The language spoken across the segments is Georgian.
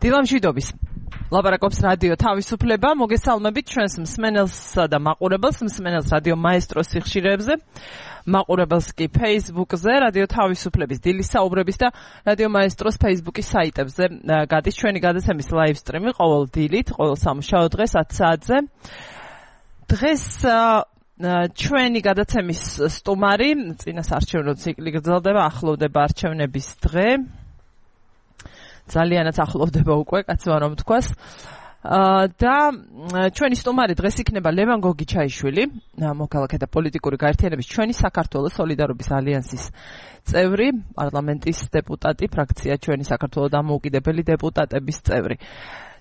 დილამშვიდობის ლაპარაკობს რადიო თავისუფლება. მოგესალმებით ჩვენს მსმენელსა და მაყურებელს, მსმენელს რადიო მაესტროს სიხშირეებზე, მაყურებელს კი Facebook-ზე, რადიო თავისუფლების დილის საუბრების და რადიო მაესტროს Facebook-ის საიტებზე გადის ჩვენი გადაცემის live stream-ი ყოველ დილით, ყოველ სამუშაო დღეს 10 საათზე. დღეს ჩვენი გადაცემის სტუმარი, წინასარჩევნო ციკლი გრძელდება, ახლოვდება არჩევნების დღე. ძალიანაც ახლოვდება უკვე, კაცმა რომ თქვას. და ჩვენი სტუმარი დღეს იქნება ლევან გოგიჩაიშვილი, მოქალაქეთა პოლიტიკური გაერთიანების ჩვენი საქართველოს სოლიდარობის ალიანსის წევრი, პარლამენტის დეპუტატი, ფრაქცია ჩვენი საქართველოს დამოუკიდებელი დეპუტატების წევრი.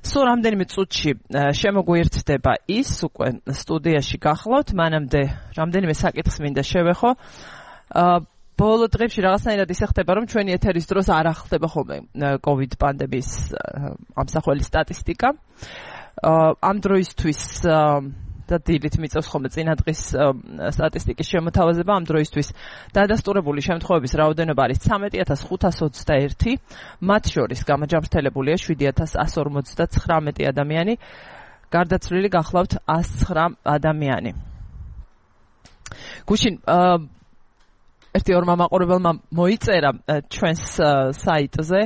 სულ რამდენიმე წუთში შემოგვიერთდება ის, უკვე სტუდიაში გახლავთ, მანამდე რამდენიმე საკითხს მინდა შევეხო. ბოლო დღეებში რაღაცნაირად ისე ხდება, რომ ჩვენი ეთერის დროს არ ახდება ხოლმე COVID პანდემიის ამსახველი სტატისტიკა. ამ დროისთვის და დილით მიწევს ხოლმე წინადღის სტატისტიკის შემოთავაზება, ამ დროისთვის დადასტურებული შემთხვევების რაოდენობა არის 13,521, მათ შორის გამაჯამრთელებულია 7,159 ადამიანი, გარდაცვლილი გახლავთ 109 ადამიანი. გუშინ ერთი-ორმა მაყურებელმა მოიწერა ჩვენს საიტზე,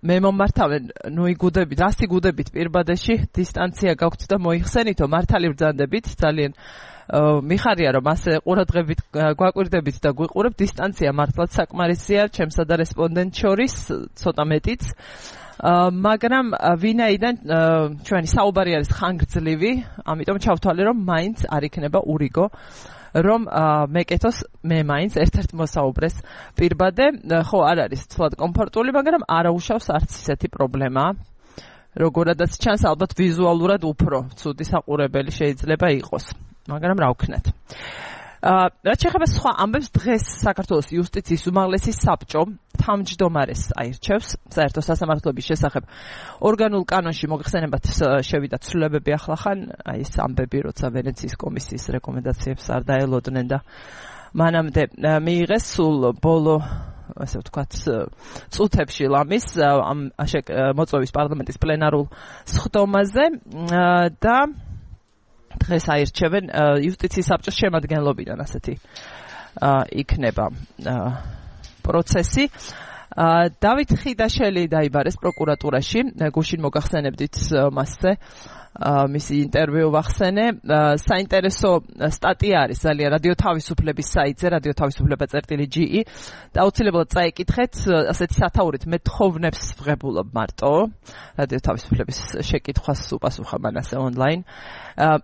მე მომართავენ, იგუდებით, რას იგუდებით პირბადეში, დისტანცია გაქვთ და მოიხსენითო, მართალი ბრძანდებით, ძალიან მიხარია, რომ ასე ყურადღებით გვაკვირდებით და გვიყურებთ, დისტანცია მართლაც საკმარისია, ჩემსა და რესპონდენტ შორის, ცოტა მეტიც. მაგრამ ვინაიდან ჩვენი საუბარი არის ხანგრძლივი, ამიტომ ჩავთვალე, რომ მაინც არ იქნება ურიგო, რომ მეკეთოს მე მაინც ერთ-ერთ მოსაუბრეს პირბადე, ხო არ არის თვალად კომფორტული, მაგრამ არაუშავს არც ისეთი პრობლემა. როგორადაც ჩანს, ალბათ ვიზუალურად უფრო ცუდი საყურებელი შეიძლება იყოს, მაგრამ რა ვქნათ. რაც შეეხება სხვა ამბებს, დღეს საქართველოს იუსტიციის უმაღლესი საბჭო თავმჯდომარეს აირჩევს საერთო სასამართლოების შესახებ. ორგანულ კანონში მოგხსენებათ შევიდა ცვლილებები ახლახან, აი ეს ამბები, როცა ვენეციის კომისიის რეკომენდაციებს არ დაელოდნენ და მანამდე მიიღეს სულ ბოლო, ასე ვთქვათ, წუთებში ლამის ამ მოწვევის პარლამენტის პლენარულ სხდომაზე და დღეს აირჩევენ იუსტიციის საბჭოს შემადგენლობიდან, ასეთი იქნება პროცესი. დავით ხიდაშელი დაიბარეს პროკურატურაში, გუშინ მოგახსენებდით მასზე, მისი ინტერვიუ ვახსენე. საინტერესო სტატია არის ძალიან რადიო თავისუფლების საიტზე, რადიო თავისუფლება.ge და აუცილებლად წაიკითხეთ, ასეთი სათაურით მეთხოვნებს ვღებულობ მარტო, რადიო თავისუფლების შეკითხვას უპასუხა მანასე ონლაინ.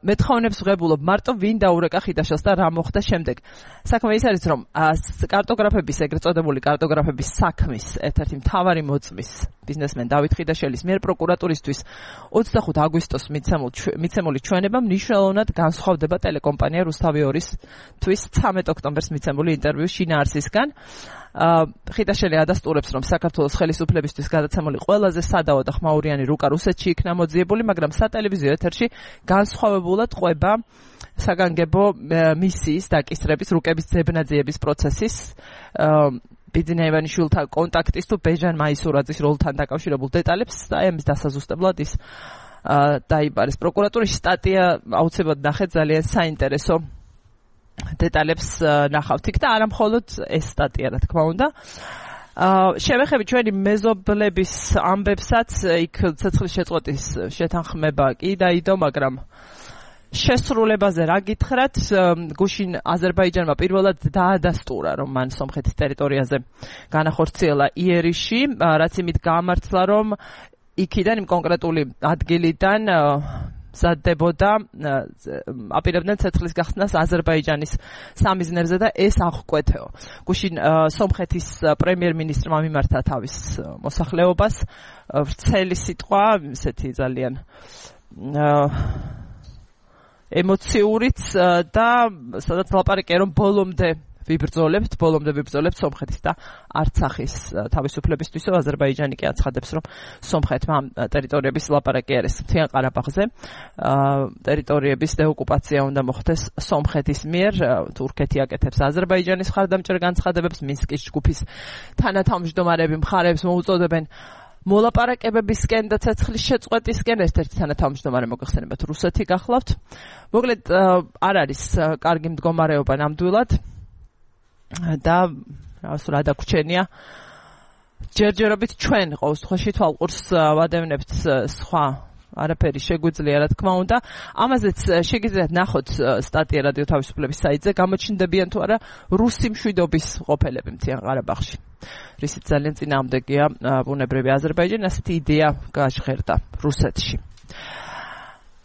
მეთხოვნებს ვღებულობ მარტო, ვინ დაურეკა ხიდაშელს და რა მოხდა შემდეგ. საქმე ის არის, რომ კარტოგრაფების, ეგრეთ წოდებული კარტოგრაფების საქმის ერთ-ერთი მთავარი მოწმის ბიზნესმენ დავით ხიდაშელის მიერ პროკურატურისთვის 25 აგვისტოს მიცემული ჩვენება მნიშვნელოვნად განსხვავდება ტელეკომპანია რუსთავი 2-თვის 13 ოქტომბერს მიცემული ინტერვიუს შინაარსისგან. ხიდაშელი ადასტურებს, რომ საქართველოს ხელისუფლებისთვის გადაცემული ყველაზე სადავო და ხმაურიანი რუკა რუსეთში იქნა მოძიებული, მაგრამ სატელევიზიო ეთერში განსხვავებულად ყვება საგანგებო მისიის დაკისრების, რუკების ძებნაძიების პროცესის, ბიძინა ივანიშვილთან კონტაქტის თუ ბეჟან მაისურაძის როლთან დაკავშირებულ დეტალებს და ამის დასაზუსტებლად ის დაიბარეს პროკურატურაში. სტატია აუცილებლად ნახეთ, ძალიან საინტერესო დეტალებს ნახავთ იქ და არა მხოლოდ ეს სტატია, რა თქმა უნდა. შევეხები ჩვენი მეზობლების ამბებსაც, იქ ცეცხლის შეწყვეტის შეთანხმება კი დაიდო, მაგრამ შესრულებაზე რა გითხრათ, გუშინ აზერბაიჯანმა პირველად დაადასტურა, რომ მან სომხეთის ტერიტორიაზე განახორციელა იერიში, რაც იმით გაამართლა, რომ იქიდან, იმ კონკრეტული ადგილიდან მზადდებოდა, აპირებდნენ ცეცხლის გახსნას აზერბაიჯანის სამიზნერზე და ეს აღკვეთეო. გუშინ სომხეთის პრემიერ-მინისტრმა მიმართა თავის მოსახლეობას, ვრცელი სიტყვა, ისეთი ძალიან ემოციურიც და სადაც ლაპარაკია, რომ ბოლომდე ვიბრძოლებთ სომხეთის და არცახის თავისუფლებისთვისო. აზერბაიჯანი კი აცხადებს, რომ სომხეთმა ტერიტორიების ლაპარაკი არის მთიან ყარაბაღზე. ტერიტორიების დეოკუპაცია უნდა მოხდეს სომხეთის მიერ. თურქეთი აკეთებს აზერბაიჯანის მხარდამჭერ განცხადებებს, მინსკის ჯგუფის თანათავმჯდომარები მხარეებს მოუწოდებენ მოლაპარაკებებისკენ და ცეცხლის შეწყვეტისკენ ერთ-ერთი თანათავმჯდომარე მოგეხსენებათ რუსეთი გახლავთ. მოკლედ არ არის კარგი მდგომარეობა ნამდვილად და რა დაგვრჩენია ჯერჯერობით ჩვენ ყოველ შემთხვევაში თვალყურს ვადევნებთ სხვა არაფერი შეგვიძლია რა თქმა უნდა. ამაზეც შეგიძლიათ ნახოთ სტატია რადიო თავისუფლების საიტზე გამოჩნდებიან თუ არა რუსი მშვიდობის ყოფილები მთიან ყარაბაღში. რისიც ძალიან წინააღმდეგია ბუნებრივი აზერბაიჯანი, ასეთი იდეა გაჟღერდა რუსეთში.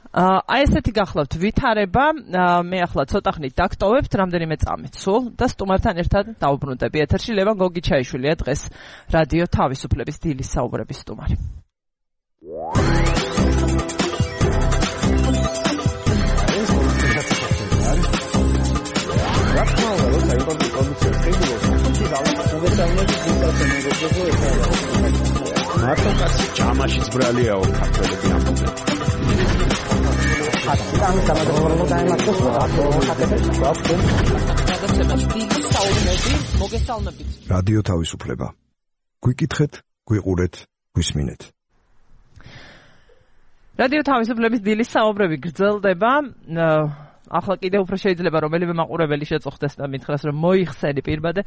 აი ესეთი გახლავთ ვითარება, მე ახლა ცოტა ხნით დაგტოვებთ, რამდენიმე წამით სულ და სტუმართან ერთად დავუბრუნდები ეთერში. ლევან გოგიჩაიშვილია დღეს რადიო თავისუფლების დილის საუბრების სტუმარი. მარტო კაცი ჯამაშიც ბრალიაო ქართველები ამბობენ. რადიო თავისუფლება. გვიკითხეთ, გვიყურეთ, გვისმინეთ. რადიო თავისუფლების დილის საუბრები გრძელდება. ახლა კიდევ უფრო შეიძლება რომელიმე მაყურებელი შეწუხდეს და მითხრას რომ მოიხსენი პირბადე.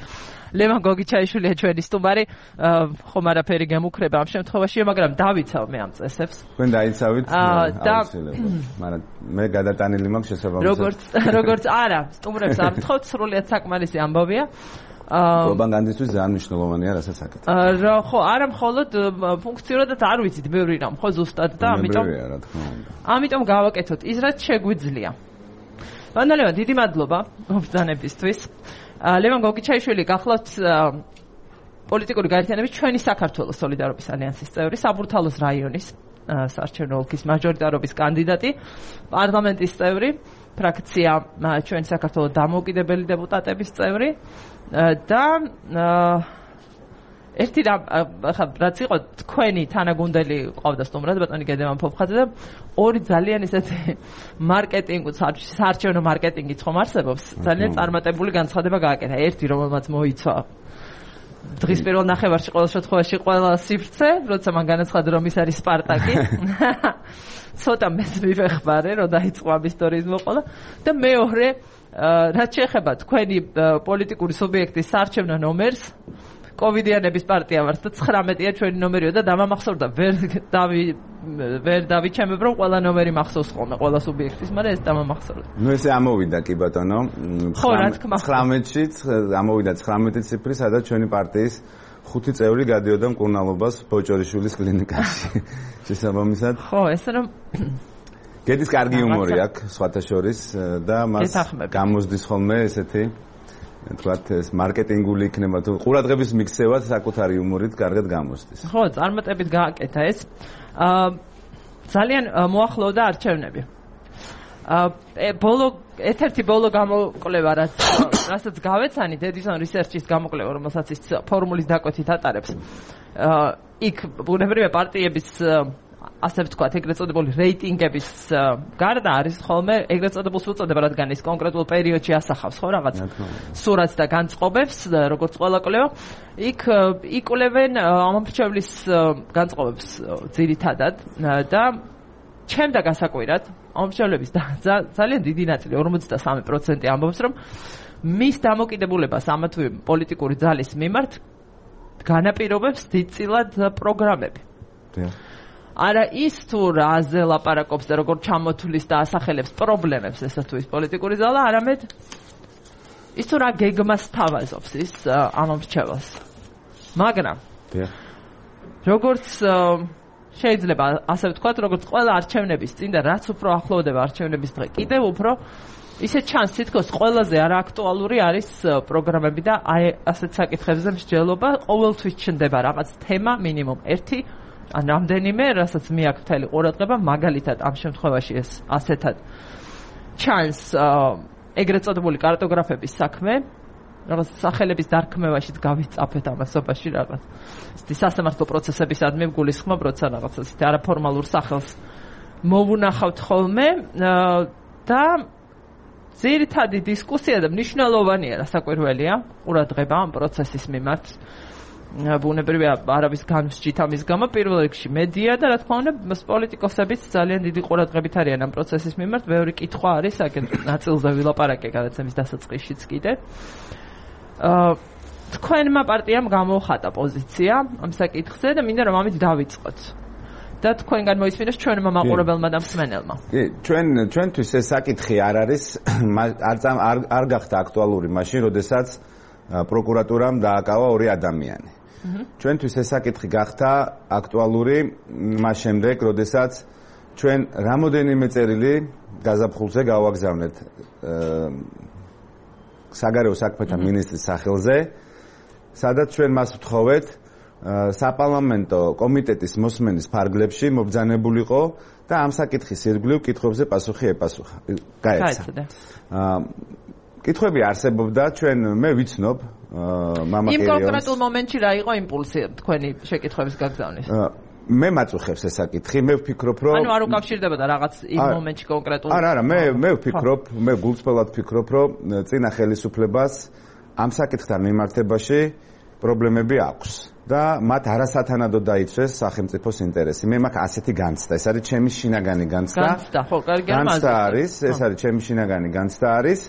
ლევან გოგიჩაიშვილია ჩვენი სტუმარი. ხომ არაფერი გემუქრება ამ შემთხვევაში, მაგრამ დავიცავ მე ამ წესებს. თქვენ დაიცავით აუცილებლად. მაგრამ მე გადატანილი მაქვს შესაბამისად. როგორც არა, სტუმრებს არ ვთხოვთ, სრულიად საკმარისი ამბავია. პროპაგანდისტვის ძალიან მნიშვნელოვანია რასაც აკეთებ. ხო, არა მხოლოდ ფუნქციურადაც არ ვიცით ბევრი რამ, ხო ზუსტად და ამიტომ გავაკეთოთ ის რაც შეგვიძლია. ბანალევა, დიდი მადლობა მობრძანებისთვის. ლევან გოგიჩაიშვილი გახლავთ პოლიტიკური გაერთიანების ჩვენი საქართველოს სოლიდარობის ალიანსის წევრი, საბურთალოს რაიონის საარჩევნო ოლქის მაჟორიტარობის კანდიდატი, პარლამენტის წევრი, ფრაქცია ჩვენი საქართველოს დამოუკიდებელი დეპუტატების წევრი და ერთი რაც იყო თქვენი თანაგუნდელი ყავდა სტუმრად ბატონი გედემან ფოფხაძე და ორი ძალიან ისეთი მარკეტინგ საარჩევნო მარკეტინგიც ხომ არსებობს ძალიან წარმატებული განცხადება გააკეთა ერთი რომელმაც მოიცვა დღის პირველ ნახევარში ყოველ შემთხვევაში ყველა სივრცე როცა მან განაცხადა რომ ის არის სპარტაკი ცოტა მეც მივეხმარე რომ დაიწყო ამ ისტორიის მოყოლა და მეორე რაც შეეხება თქვენი პოლიტიკური სუბიექტის საარჩევნო ნომერს კოვიდიანების პარტია ვართ და 19-ია ჩვენი ნომერიო და დამამახსოვრდა ვერ დავიჩემებ რომ ყველა ნომერი მახსოვს ხოლმე ყველა სუბიექტის, მაგრამ ეს დამამახსოვრდა. ნუ ესე ამოვიდა კი ბატონო. 19-ში ამოვიდა 19 ციფრი, სადაც ჩვენი პარტიის 5 წევრი გადიოდა მკურნალობას ბოჭორიშვილის კლინიკაში. შესაბამისად. ხო, ესე რომ გედის კარგი იუმორი აქვს სხვათა შორის და მას გამოსდის ხოლმე ესეთი თქვათ ეს მარკეტინგული იქნება თუ ყურადღების მიქცევად საკუთარი იუმორით კარგად გამოსდის. ხო, წარმატებით გააკეთა ეს. ძალიან მოახლოვდა არჩევნები. ერთ-ერთი ბოლო გამოკვლევა რასაც გავეცანით Edison Research-ის გამოკვლევა, რომელსაც ის ფორმულის დაკვეთით ატარებს. იქ ბუნებრივია პარტიების ასე ვთქვათ, ეგრეთ წოდებული რეიტინგების გარდა არის ხოლმე ეგრეთ წოდებულს უწოდება, რადგან ის კონკრეტულ პერიოდში ასახავს ხო რაღაც სურათს და განწყობებს, როგორც ყველა კვლევა. იქ იკვლევენ ამომრჩევლის განწყობებს ძირითადად და ჩემდა გასაკვირად ამომრჩევლების ძალიან დიდი ნაწილი 53% ამბობს, რომ მის დამოკიდებულებას ამა თუ იმ პოლიტიკური ძალის მიმართ განაპირობებს დიდწილად პროგრამები. არა ის თუ რაზე ლაპარაკობს და როგორ ჩამოთვლის და ასახელებს პრობლემებს ესა თუ ის პოლიტიკური ძალა, არამედ ის თუ რა გეგმას თავაზობს ის ამომრჩეველს. მაგრამ როგორც შეიძლება ასე ვთქვათ, როგორც ყველა არჩევნების წინ და რაც უფრო ახლოვდება არჩევნების დღე, კიდევ უფრო ისე ჩანს თითქოს ყველაზე არააქტუალური არის პროგრამები და აი ასეთ საკითხებზე მსჯელობა ყოველთვის ჩნდება რაღაც თემა მინიმუმ ერთი ან რამდენიმე, რასაც მე აქ მთელი ყურადღება, მაგალითად ამ შემთხვევაში ეს ასეთად ჩანს ეგრეთ წოდებული კარტოგრაფების საქმე, რაღაც სახელების დარქმევაშიც გავიწაფეთ ამასობაში რაღაც. ისეთი სასამართლო პროცესებისადმი გულისხმობ, როცა რაღაც ისეთი არაფორმალურ სახელს მოვუნახავთ ხოლმე და ძირითადი დისკუსია და მნიშვნელოვანია, რასაკვირველია, ყურადღება ამ პროცესის მიმართ. ბუნებრივია არავის განსჯით ამის გამო პირველ რიგში მედია და რა თქმა უნდა პოლიტიკოსებიც ძალიან დიდი ყურადღებით არიან ამ პროცესის მიმართ. ბევრი კითხვა არის, აქეთ ნაწილზე ვილაპარაკე გადაცემის დასაწყისშიც კიდე. თქვენმა პარტიამ გამოუხატა პოზიცია ამ საკითხზე და მინდა რომ ამით დავიწყოთ. და თქვენგან მოისმინოს ჩვენმა მაყურებელმა და მსმენელმა. კი, ჩვენთვის ეს საკითხი არ არის არ გახდა აქტუალური მაშინ, როდესაც პროკურატურამ დააკავა 2 ადამიანი. ჩვენთვის ეს საკითხი გახდა აქტუალური მას შემდეგ, როდესაც ჩვენ რამოდენიმე წერილი გაზაფხულზე გავაგზავნეთ საგარეო საქმეთა მინისტრის სახელზე, სადაც ჩვენ მას ვთხოვეთ საპარლამენტო კომიტეტის მოსმენის ფარგლებში მობრძანებულიყო და ამ საკითხის ირგვლივ კითხვებზე პასუხი ეპასუხა. გაეცა. კითხვები არსებობდა, მე ვიცნობ მამა კერიონს. იმ კონკრეტულ მომენტში რა იყო იმპულსი თქვენი შეკითხვების გაგზავნის? მე მაწუხებს ეს საკითხი, მე ვფიქრობ, რომ ანუ არ უკავშირდებოდა რაღაც იმ მომენტში კონკრეტულ. არა, მე ვფიქრობ, მე გულწრფელად ვფიქრობ, რომ წინა ხელისუფლებას ამ საკითხთან მიმართებაში პრობლემები აქვს და მათ არასათანადოდ დაიცვეს სახელმწიფოს ინტერესი. მე მაქვს ასეთი განცდა, ეს არის ჩემი შინაგანი განცდა. განცდა, ხო, კარგი განცდა არის, ეს არის ჩემი შინაგანი განცდა არის.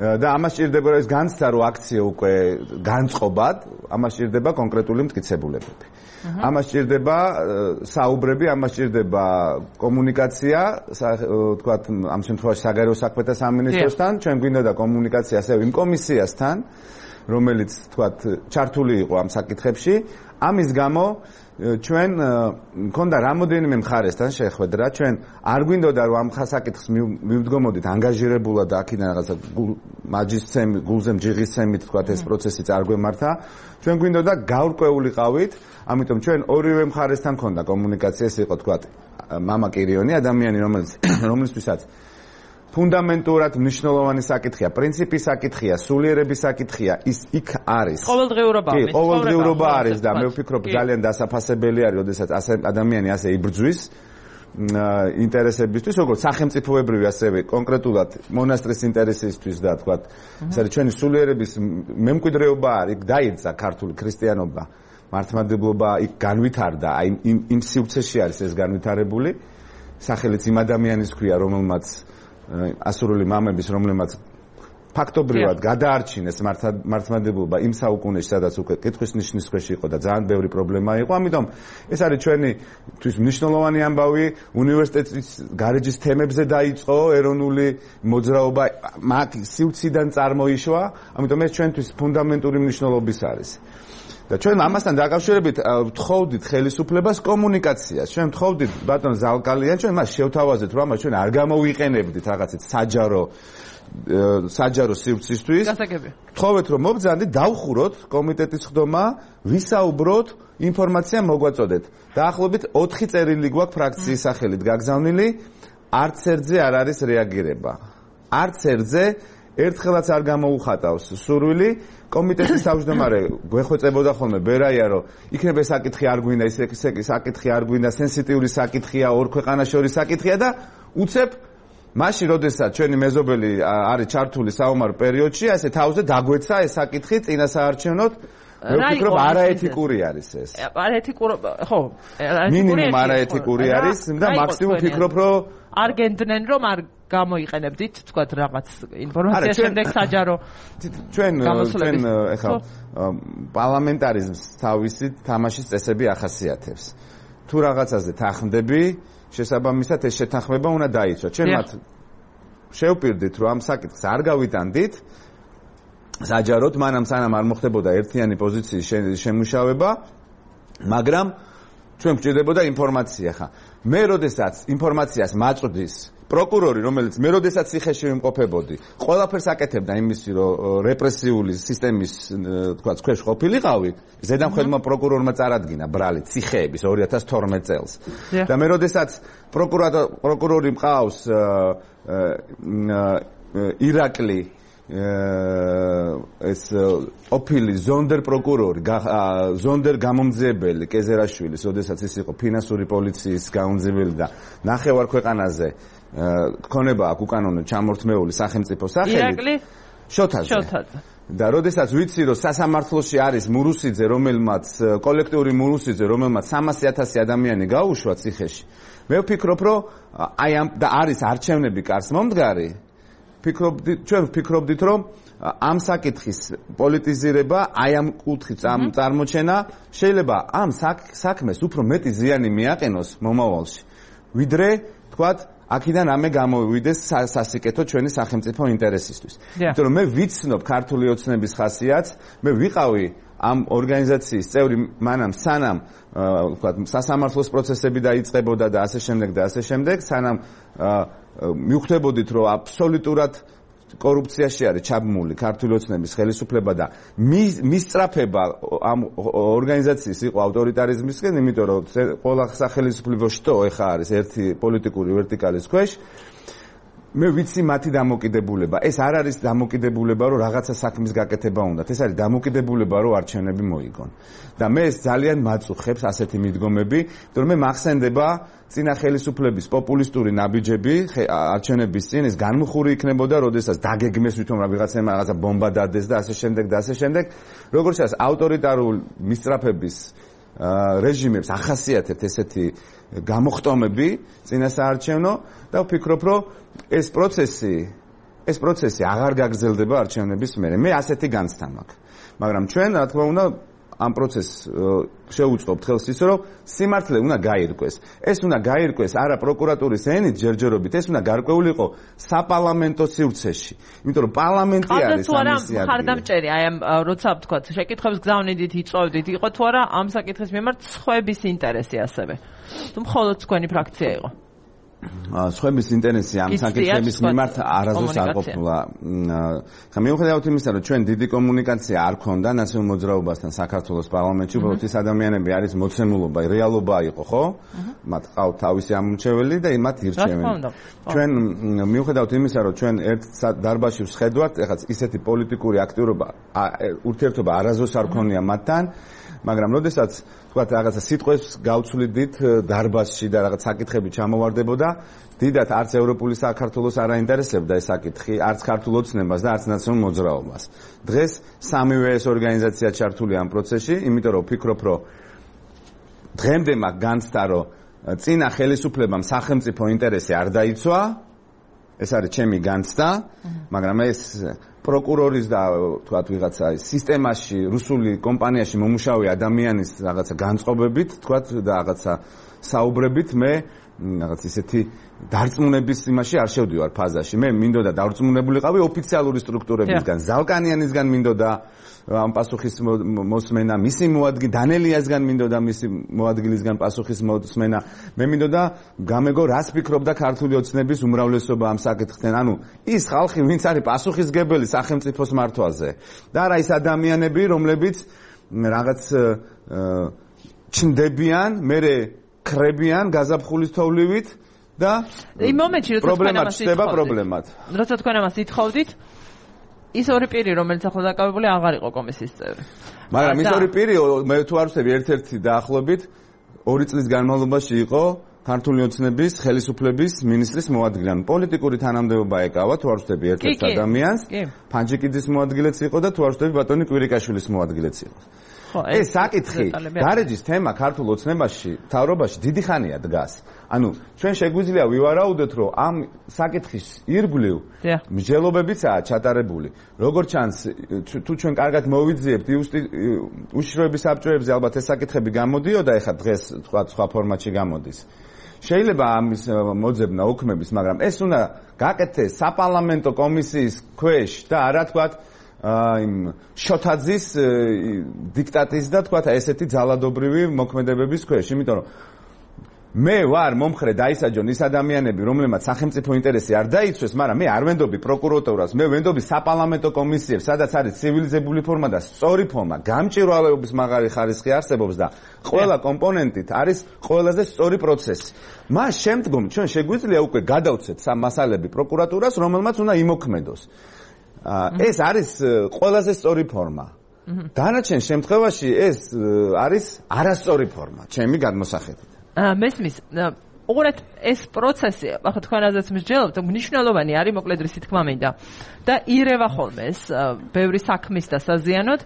და ამას ჭირდება რომ ეს განცდა რო აქციო უკვე განწყობად, ამას ჭირდება კონკრეტული მტკიცებულებები. ამას ჭირდება საუბრები, ამას ჭირდება კომუნიკაცია, თქვათ ამ შემთხვევაში საგარეო საქმეთა სამინისტროსთან, ჩვენ გვინდა და კომუნიკაცია ასევე იმ კომისიასთან, რომელიც თქვათ ჩართული იყო ამ საკითხებში. ამის გამო ჩვენ მქონდა რამოდენიმე მხარესთან შეხვედრა, ჩვენ არ გვინდოდა რომ ამ საკითხს მივდგომოდით ანგაჟირებულად და აქედან რაღაცა მაჯისცემი, გულზე მჯიღისცემით თქვათ ეს პროცესი წარგვემართა. ჩვენ გვინდოდა გაურკვეულიყავით, ამიტომ ჩვენ ორივე მხარესთან მქონდა კომუნიკაცია, ეს იყო თქვათ მამა კირიონი, ადამიანი რომლისთვისაც ფუნდამენტურად მნიშვნელოვანი საკითხია, პრინციპის საკითხია, სულიერების საკითხია, ის იქ არის. ყოველდღიურობა არის. ყოველდღიურობა არის და მე ვფიქრობ ძალიან დასაფასებელი არის, როდესაც ადამიანი ასე იბრძვის ინტერესებისთვის, როგორც სახელმწიფოებრივი, ასევე კონკრეტულად მონასტრის ინტერესისთვის და თქვათ, ეს არის ჩვენი სულიერების მემკვიდრეობა არის, დაიწყა ქართული ქრისტიანობა, მართლმადიდებლობა იქ განვითარდა, აი იმ სივრცეში არის ეს განვითარებული, სახელიც იმ ადამიანის ქვია, რომელმაც ასურული მამების, რომლებმაც ფაქტობრივად გადაარჩინეს მართლმადიდებლობა იმ საუკუნეში, სადაც უკვე კითხვის ნიშნის ქვეშ იყო და ძალიან ბევრი პრობლემა იყო. ამიტომ ეს არის ჩვენთვის მნიშვნელოვანი ამბავი. უნივერსიტეტის გარეჯის თემებზე დაიწყო ეროვნული მოძრაობა, მაგ სივრციდან წარმოიშვა, ამიტომ ეს ჩვენთვის ფუნდამენტური მნიშვნელობის არის. და ჩვენ ამასთან დაკავშირებით ვთხოვდით ხელისუფლებას კომუნიკაციას. ჩვენ ვთხოვდით ბატონ ზალკალიან, ჩვენ მას შევთავაზეთ, რომ ჩვენ არ გამოვიყენებდით რაღაცით საჯარო სივრცისთვის. ვთხოვეთ, რომ მობრძანდით, დავხუროთ კომიტეტის ხდომა, ვისაუბროთ, ინფორმაცია მოგვაწოდეთ. დაახლოებით 4 წერილი გვაქვს ფრაქციის სახელით გაგზავნილი, არც ერთზე არ არის რეაგირება. არც ერთზე ერთხელაც არ გამოუხატავს სურვილი. კომიტეტის თავმჯდომარე გვეხვეწებოდა ხოლმე ბერაია, რომ იქნება საკითხი არ გვინდა, ის საკითხი არ გვინდა, სენსიტიური საკითხია, ორ ქვეყანას შორის საკითხია და უცებ მაშინ, როდესაც ჩვენი მეზობელი არის ჩართული საომარ პერიოდში, ასე თავზე დაგვეცა ეს საკითხი წინასაარჩევნოდ. მე ვფიქრობ, არაეთიკური არის ეს. არაეთიკური, ხო, მინიმუმ არაეთიკური არის და მაქსიმუმ ვფიქრობ, რომ არ გენდნენ, რომ არ გამოიყენებდით, თქვათ, რაღაც ინფორმაცია შემდეგ საჯარო. ჩვენ ეხლა პარლამენტარიზმს თავისი თამაშის წესები ახასიათებს. თუ რაღაცაზე თანხმდები, შესაბამისად ეს შეთანხმება უნდა დაიცვათ. ჩვენ მათ შევპირდით, რომ ამ საკითხს არ გავიტანდით საჯაროდ, მანამ სანამ არ მოხდებოდა ერთიანი პოზიციის შემუშავება, მაგრამ ჩვენ გვჭირდებოდა ინფორმაცია ხა. მე როდესაც ინფორმაციას მაწვდის პროკურორი, რომელიც მე როდესაც ციხეში ვიმყოფებოდი, ყველაფერს აკეთებდა იმისი, რომ რეპრესიული სისტემის, თქვა, ქვეშ ყოფილიყავი, ზედამხედმა პროკურორმა წარადგინა ბრალი ციხეების 2012 წელს. და მე როდესაც პროკურორი მყავს ირაკლი ეს ოფილი ზონდერ პროკურორი, ზონდერ გამომძიებელი კეზერაშვილის, როდესაც ის იყო ფინანსური პოლიციის გამომძიებელი და ნახევარ ქვეყანაზე ქონება აქვს უკანონო ჩამორთმეული სახელმწიფო სახელით. შოთაძე. და როდესაც ვიცი რომ სასამართლოში არის მურუსიძე, რომელმაც კოლექტიური მურუსიძე, რომელმაც 300,000 ადამიანი გაუშვა ციხეში. მე ვფიქრობ რომ აი ამ და არის არჩევნები კარს მომდგარი. ჩვენ ვფიქრობდით რომ ამ საკითხის პოლიტიზირება, აი ამ კუთხით წარმოჩენა შეიძლება ამ საქმეს უფრო მეტი ზიანი მიაყენოს მომავალში. ვიდრე თქვათ აქედან ამე გამოვიდეს სასიკეთო ჩვენი სახელმწიფო ინტერესისთვის. იმიტომ რომ მე ვიცნობ ქართული ოცნების ხასიათს, მე ვიყავი ამ ორგანიზაციის წევრი მანამ სანამ ვთქვათ სასამართლოს პროცესები დაიწყებოდა და ასე შემდეგ, სანამ მივხვდებოდით რომ აბსოლუტურად კორუფციაში არის ჩაბმული ქართული ოცნების ხელისუფლება და მისწრაფება ამ ორგანიზაციის იყო ავტორიტარიზმისკენ, იმიტომ რომ ყველა სახელისუფლებო შტო ეხა არის ერთი პოლიტიკური ვერტიკალის ქვეშ. მე ვიცი მათი დამოკიდებულება. ეს არ არის დამოკიდებულება, რომ რაღაცა საქმის გაკეთება უნდათ. ეს არის დამოკიდებულება, რომ არჩევნები მოიგონ. და მე ეს ძალიან მაწუხებს ასეთი მიდგომები, იმიტომ რომ მე მახსენდება წინა ხელისუფლების პოპულისტური ნაბიჯები არჩევნების წინ ეს განმხური იქნებოდა, როდესაც დაგეგმეს ვითომ რაღაცა ბომბა დადეს და ასე შემდეგ. როგორც ჩანს, ავტორიტარულ მისწრაფების რეჟიმებს ახასიათებთ ესეთი გამოხტომები წინასაარჩევნო და ვფიქრობ, რომ ეს პროცესი აღარ გაგრძელდება არჩევნების მერე. მე ასეთი განცდა მაქვს. მაგრამ ჩვენ, რა თქმა უნდა, ამ პროცესს შევუწყობთ ხელს ის, რომ სიმართლე უნდა გაირკვეს. ეს უნდა გაირკვეს არა პროკურატურის ენით ჯერჯერობით, ეს უნდა გარკვეული იყო საპარლამენტო სივრცეში. იმიტომ რომ პარლამენტი არის ამისი ადგილი. ხარდამჭერი, აი ამ როცა ვთქვათ, შეკითხებს გზავნიდით, იწვევდით, იყო თუ არა ამ საკითხის მიმართ სხვების ინტერესი ასევე. თუ მხოლოდ თქვენი ფრაქცია იყო. სხვების ინტერესი ამ საკითხების მიმართ არასდროს არ ყოფილა. ხა მიუხედავად იმისა, რომ ჩვენ დიდი კომუნიკაცია არ ქონდა ნაციონალურ მოძრაობასთან საქართველოს პარლამენტში, უბრალოდ ის ადამიანები არის მოცემულობა, რეალობა იყო, ხო? მათ ყავთ თავისი ამომრჩეველი და მათ ირჩევენ. ჩვენ მიუხედავად იმისა, რომ ჩვენ ერთ დარბაზში ვსხედავთ, ეხლა ისეთი პოლიტიკური აქტიურობა, ურთიერთობა არასდროს არ ქონია მათთან, მაგრამ როდესაც თქვათ რაღაცა სიტყვებს გავცვლიდით დარბაზში და რაღაც საკითხები ჩამოვარდებოდა, დიდად არც ევროპული საქართველოს არ აინტერესებდა ეს საკითხი, არც ქართულ ოცნებას და არც ნაციონალურ მოძრაობას. დღეს სამივე ეს ორგანიზაცია ჩართულია ამ პროცესში, იმიტომ რომ ვფიქრობ, რომ დღემდე მაგ განცდა, რომ წინა ხელისუფლებამ სახელმწიფო ინტერესი არ დაიცვა, ეს არის ჩემი განცდა, მაგრამ ეს პროკურორის და თქვათ ვიღაცა სისტემაში, რუსული კომპანიაში მომუშავე ადამიანის რაღაცა განწყობებით, თქვათ და რაღაცა საუბრებით მე რაღაც ისეთი დარწმუნების იმაში არ შევდივარ ფაზაში. მე მინდოდა დარწმუნებულიყავი ოფიციალური სტრუქტურებისგან, ზალკანიანისგან მინდოდა ამ პასუხის მოსმენა, მისი დანელიასგან მინდოდა მისი მოადგილისგან პასუხის მოსმენა. მე მინდოდა გამეგო რას ფიქრობდა ქართული ოცნების უმრავლესობა ამ საკითხთან. ანუ ის ხალხი, ვინც არის პასუხისგებელი სახელმწიფოს მართვაზე და არა ის ადამიანები, რომლებიც რაღაც ჩნდებიან, მერე ხრებიან გაზაფხულის თოვლივით და იმ მომენტში როცა თქვენ ამას ითხოვდით, ის ორი პირი, რომელიც ახლა დაკავებული აღარ იყო კომისიის წევრი. მაგრამ ის ორი პირი, მე თუ არ ვცდები, ერთ-ერთი დაახლოებით 2 წლის განმავლობაში იყო ქართული ოცნების ხელისუფლების მინისტრის მოადგილე. პოლიტიკური თანამდებობა ეკავა, თუ არ ვცდები, ერთ-ერთ ადამიანს. ფანჯიკიძის მოადგილეც იყო და თუ არ ვცდები, ბატონი კვირიკაშვილის მოადგილეც იყო. ეს საკითხი გარეჯის თემა ქართულ ოცნებაში, მთავრობაში დიდი ხანია დგას. ანუ ჩვენ შეგვიძლია ვივარაუდოთ, რომ ამ საკითხის ირგვლივ მსჯელობებიცაა ჩატარებული. როგორც ჩანს, თუ ჩვენ კარგად მოვიძიებთ უშიშროების საბჭოებზე, ალბათ ეს საკითხები გამოდიოდა, ეხლა დღეს თქვა სხვა ფორმატში გამოდის. შეიძლება ამის მოძებნა უქმების, მაგრამ ეს უნდა გაკეთდეს საპარლამენტო კომისიის ქვეშ და არა თქვათ იმ შოთაძის დიქტატის და თქვათ ესეთი ძალადობრივი მოქმედებების ქვეშ, იმიტომ რომ მე ვარ მომხრე დაისაჯონ ის ადამიანები, რომლებმაც სახელმწიფო ინტერესი არ დაიცვეს, მაგრამ მე არ ვენდობი პროკურატურას, მე ვენდობი საპარლამენტო კომისიებს, სადაც არის ცივილიზებული ფორმა და სწორი ფორმა, გამჭვირვალეობის მაღალი ხარისხი არსებობს და ყველა კომპონენტით არის ყველაზე სწორი პროცესი. მას შემდგომ ჩვენ შეგვიძლია უკვე გადავცეთ მასალები პროკურატურას, რომელმაც უნდა იმოქმედოს. ეს არის ყველაზე სწორი ფორმა. დანარჩენ შემთხვევაში ეს არის არასწორი ფორმა, ჩემი გადმოსახედით. მესმის უყურეთ ეს პროცესი, ახლა თქვენაზეც მსჯელობთ, მნიშვნელოვანი არის მოკლედ რისი თქმა მინდა. და ირევა ხოლმე ეს ბევრი საქმის და საზიანოდ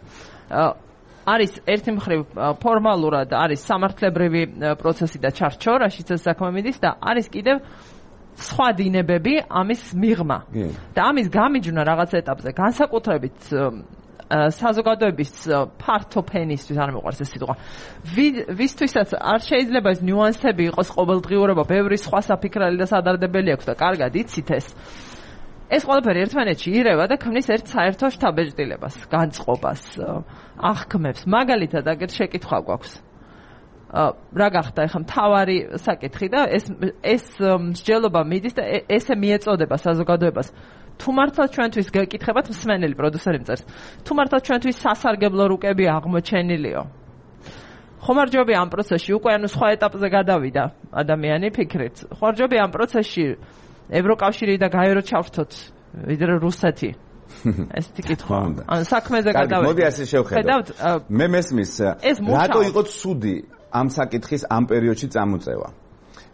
არის ერთი მხრივ ფორმალურად არის სამართლებრივი პროცესი და ჩარჩო, რაშიც ეს საქმე მიდის და არის კიდევ სხვა დინებები ამის მიღმა. და ამის გამიჯვნა რაღაც ეტაპზე განსაკუთრებით საზოგადოების ფართო ფენისთვის არ მეყვარს ეს სიტყვა. ვისთვისაც არ შეიძლება ეს ნიუანსები იყოს ყოველდღიურობა, ბევრი სხვა საფიქრალი და სადარდებელი აქვს და კარგად იცით ეს. ეს ყველაფერი ერთმანეთში ირევა და ქმნის ერთ საერთო შთაბეჭდილებას, განწყობას, აღქმებს. მაგალითად, აგერ შეკითხვა გვაქვს. რა გახდა ახლა მთავარი საკითხი და ეს მსჯელობა მიდის და ესე მიეწოდება საზოგადოებას. თუ მართლა ჩვენთვის გეკითხებათ მსმენელი პროდიუსერი მწერს. თუ მართლა ჩვენთვის სასარგებლო რუკები აღმოჩენილიო. ხომ არ ჯობია ამ პროცესში უკვე სხვა ეტაპზე გადავიდა ადამიანი ფიქრით. ხომ არ ჯობია ამ პროცესში ევროკავშირი და გაერო ჩავრთოთ ვიდრე რუსეთი. ეს თიკითხვა. ან საქმეზე გადავიდეთ. მოდი ასე შევხედოთ. მე მესმის რატო იყო ცუდი ამ საკითხის ამ პერიოდში წამოწევა.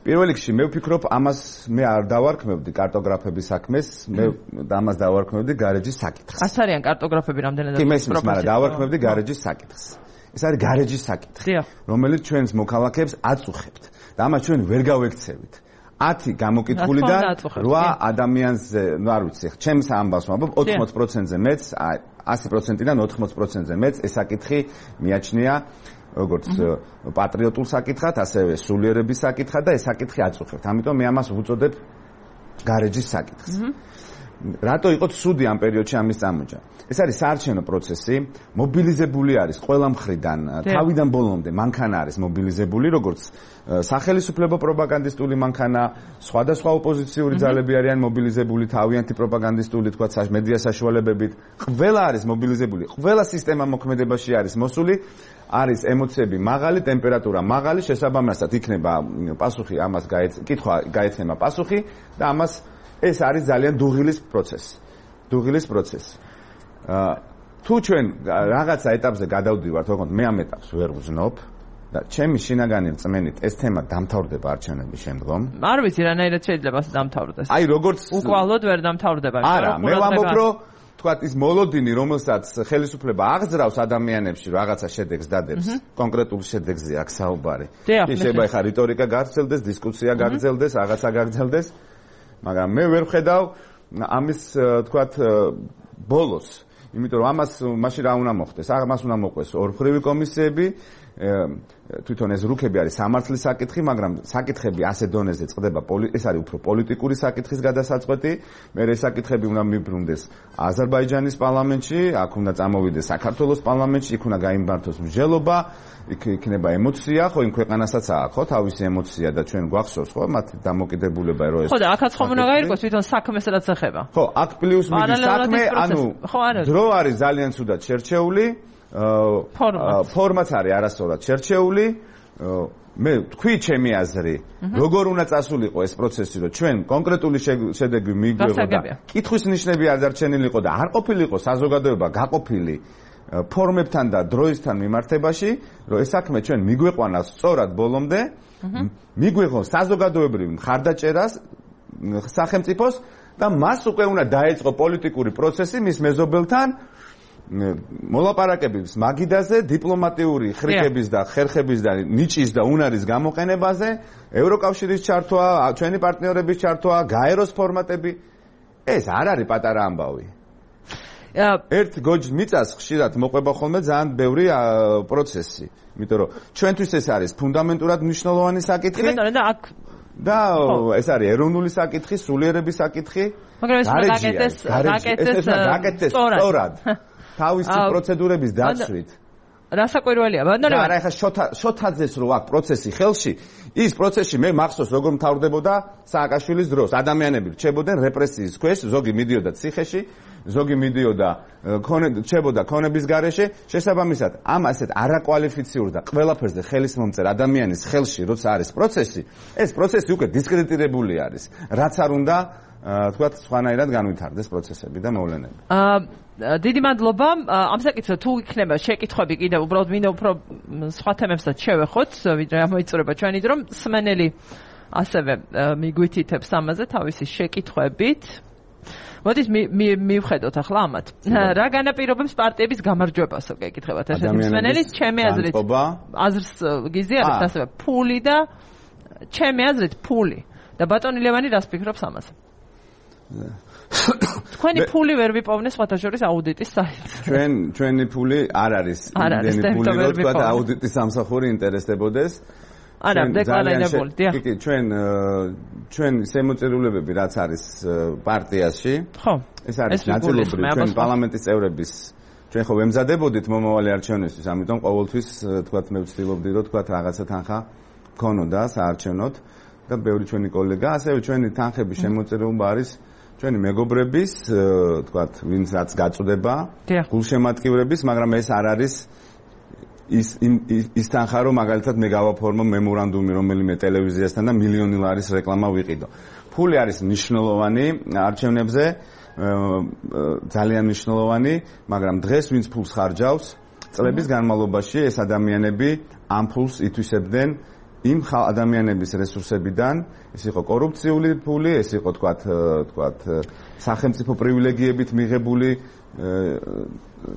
პირველ რიგში მე ვფიქრობ ამას მე არ დავარქმევდი კარტოგრაფების საქმეს, მე ამას დავარქმევდი გარეჯის საკითხს. ას არიან კარტოგრაფები რამდენად კი მესმის, მაგრამ დავარქმევდი გარეჯის საკითხს. ეს არის გარეჯის საკითხი, რომელიც ჩვენს მოქალაქეებს აწუხებთ და ამას ჩვენ ვერ გავექცევით. 10 გამოკითხულიდან 8 ადამიანზე, ნუ არ ვიცი, ჩემს ამბავს ვამბობ 80%-ზე მეც, 100%-დან 80%-ზე მეც ეს საკითხი მიაჩნია როგორც პატრიოტულ საკითხად, ასევე სულიერების საკითხად და ეს საკითხი აწუხებთ. ამიტომ მე ამას ვუწოდებ გარეჯის საკითხს. რატო იყო ცუდი ამ პერიოდში ამის წამოჭრა? ეს არის საარჩევნო პროცესი, მობილიზებული არის ყველა მხრიდან, თავიდან ბოლომდე მანქანა არის მობილიზებული, როგორც სახელმწიფო პროპაგანდისტული მანქანა, სხვადასხვა ოპოზიციური ძალები არიან მობილიზებული, თავიანთი პროპაგანდისტული, თქვა მედია საშუალებებით, ყველა არის მობილიზებული, ყველა სისტემა მოქმედებაში არის მოსული, არის ემოციები მაღალი, ტემპერატურა მაღალი, შესაბამისად იქნება პასუხი ამას კითხვა გაეცემა პასუხი და ამას ეს არის ძალიან დუღილის პროცესი. დუღილის პროცესი. თუ ჩვენ რაღაცა ეტაპზე გადავდივართ, თქო, მე ამ ეტაპს ვერ ვზნობ და ჩემი შინაგანი რწმენით ეს თემა დამთავრდება არჩევნების შემდგომ. არ ვიცი რანაირად შეიძლება დამთავრდეს. აი როგორც უკვალოდ ვერ დამთავრდება. არა, მე ვამბობ, რომ თქვა ის მოლოდინი, რომელსაც ხელისუფლება აღძრავს ადამიანებში რაღაცა შედეგს დადებს, კონკრეტულ შედეგზე აქ საუბარი. კი შეიძლება ხა რიტორიკა გაგრძელდეს, დისკუსია გაგრძელდეს, რაღაცა გაგრძელდეს. მაგრამ მე ვერ ვხედავ ამის თქვათ ბოლოს, იმიტომ რომ ამას მაშინ რა უნდა მოხდეს? ამას უნდა მოყვეს ორმხრივი კომისიები, თვითონ ეს რუკები არის სამართლის საკითხი, მაგრამ საკითხები ასე დონეზე წყდება, ეს არის უფრო პოლიტიკური საკითხის გადასაწყვეტი, მე ეს საკითხები უნდა მიბრუნდეს აზერბაიჯანის პარლამენტში, აქ უნდა წამოვიდეს საქართველოს პარლამენტში, იქ უნდა გაიმართოს მსჯელობა, იქ იქნება ემოცია, ხო იმ ქვეყანასაც აქვს, ხო, თავისი ემოცია და ჩვენ გვახსოვს, ხო, მათ დამოკიდებულება რო ეს. ხო და აქაც ხომ უნდა გაირკვეს თვითონ საქმეს რაც ეხება. ხო, აქ პლუს მინუს საქმე, ანუ დრო არის ძალიან ცუდად შერჩეული. ფორმაც არის არასწორად შერჩეული. მე თქვი ჩემი აზრი, როგორ უნდა წასულიყო ეს პროცესი, რომ ჩვენ კონკრეტული შედეგი მიგვიღო და კითხვის ნიშნები არ დარჩენილიყო და არ ყოფილიყო საზოგადოება გაყოფილი ფორმებთან და დროისთან მიმართებაში, რომ ეს საქმე ჩვენ მიგვეყვანა სწორად ბოლომდე, მიგვეღო საზოგადოებრივ მხარდაჭერას სახელმწიფოს და მას უკვე უნდა დაეწყო პოლიტიკური პროცესი მის მეზობელთან მოლაპარაკებების მაგიდაზე, დიპლომატიური ხრიკების და ხერხების და ნიჭის და უნარის გამოყენებაზე, ევროკავშირის ჩართვა, ჩვენი პარტნიორების ჩართვა, გაეროს ფორმატები, ეს არ არის პატარა ამბავი. ერთ გოჯ მიწას ხშირად მოყვება ხოლმე ძალიან ბევრი პროცესი, იმიტომ რომ ჩვენთვის ეს არის ფუნდამენტურად მნიშვნელოვანი საკითხი. და ეს არის ეროვნული საკითხი, სულიერების საკითხი. მაგრამ ეს გაკეთდეს სწორად. თავისი პროცედურების დაცვით. რასაკვირველია, ბანდარები. არა, ეხლა შოთაძეს რო აქვს პროცესი ხელში, ის პროცესი მე მახსოვს როგორ მთავრდებოდა სააკაშვილის დროს. ადამიანები რჩებოდნენ რეპრესიის ქვეშ, ზოგი მიდიოდა ციხეში, ზოგი მიდიოდა რჩებოდა ქონების გარეშე, შესაბამისად, ამ ასეთ არაკვალიფიციურ და ყველაფერზე ხელის მომწერ ადამიანის ხელში როცა არის პროცესი, ეს პროცესი უკვე დისკრედიტირებული არის. რაც არ უნდა თქვათ სხვანაირად განვითარდეს პროცესები და მოვლენები. დიდი მადლობა. ამ საკითხზე თუ იქნება შეკითხვები კიდევ უბრალოდ მინდა უფრო სხვა თემებსაც შევეხოთ, ვიდრე ამოიწურება ჩვენი დრო. მსმენელი ასევე მიგვითითებს ამაზე თავისი შეკითხვებით. მოდით მივხედოთ ახლა ამათ. რა განაპირობებს პარტიების გამარჯვებასო გეკითხებათ ერთ-ერთი მსმენელი, ჩემი აზრით აზრს გიზიარებთ ასევე ფული და ჩემი აზრით ფული. და ბატონი ლევანი რას ფიქრობს ამაზე? თქვენი ფული ვერ ვიპოვნე სხვათა შორის აუდიტის საიტს. ჩვენი ფული არ არის იმდენი ფული, რომ თქვა აუდიტის სამსახური ინტერესდებოდეს. არა, დეკლარირებული, დიახ. კი, ჩვენ შემოწირულობები რაც არის პარტიაში. ხო. ეს არის ნაწილობრივ ჩვენ პარლამენტის წევრების ჩვენ ხო ვემზადებოდით მომავალი არჩევნისთვის, ამიტომ ყოველთვის თქვა მე ვცდილობდი რომ თქვა რაღაცა თანხა ქონოდა საარჩევნოდ და ბევრი ჩვენი კოლეგა, ასევე ჩვენი თანხების შემოწირულობა არის ჩვენი მეგობრების, თქვა ვინც რაც გაწუდება, გულშემატკივრების, მაგრამ ეს არ არის ის თანხა რომ მაგალითად მე გავაფორმო მემორანდუმი რომელიმე ტელევიზიასთან და მილიონი ლარის რეკლამა ვიყიდო. ფული არის მნიშვნელოვანი არჩევნებზე, ძალიან მნიშვნელოვანი, მაგრამ დღეს ვინც ფულს ხარჯავს, წლების განმავლობაში ეს ადამიანები ამ ფულს ითვისებდნენ იმ ადამიანების რესურსებიდან, ეს იყო კორუფციული ფული, ეს იყო თქვათ სახელმწიფო პრივილეგიებით მიღებული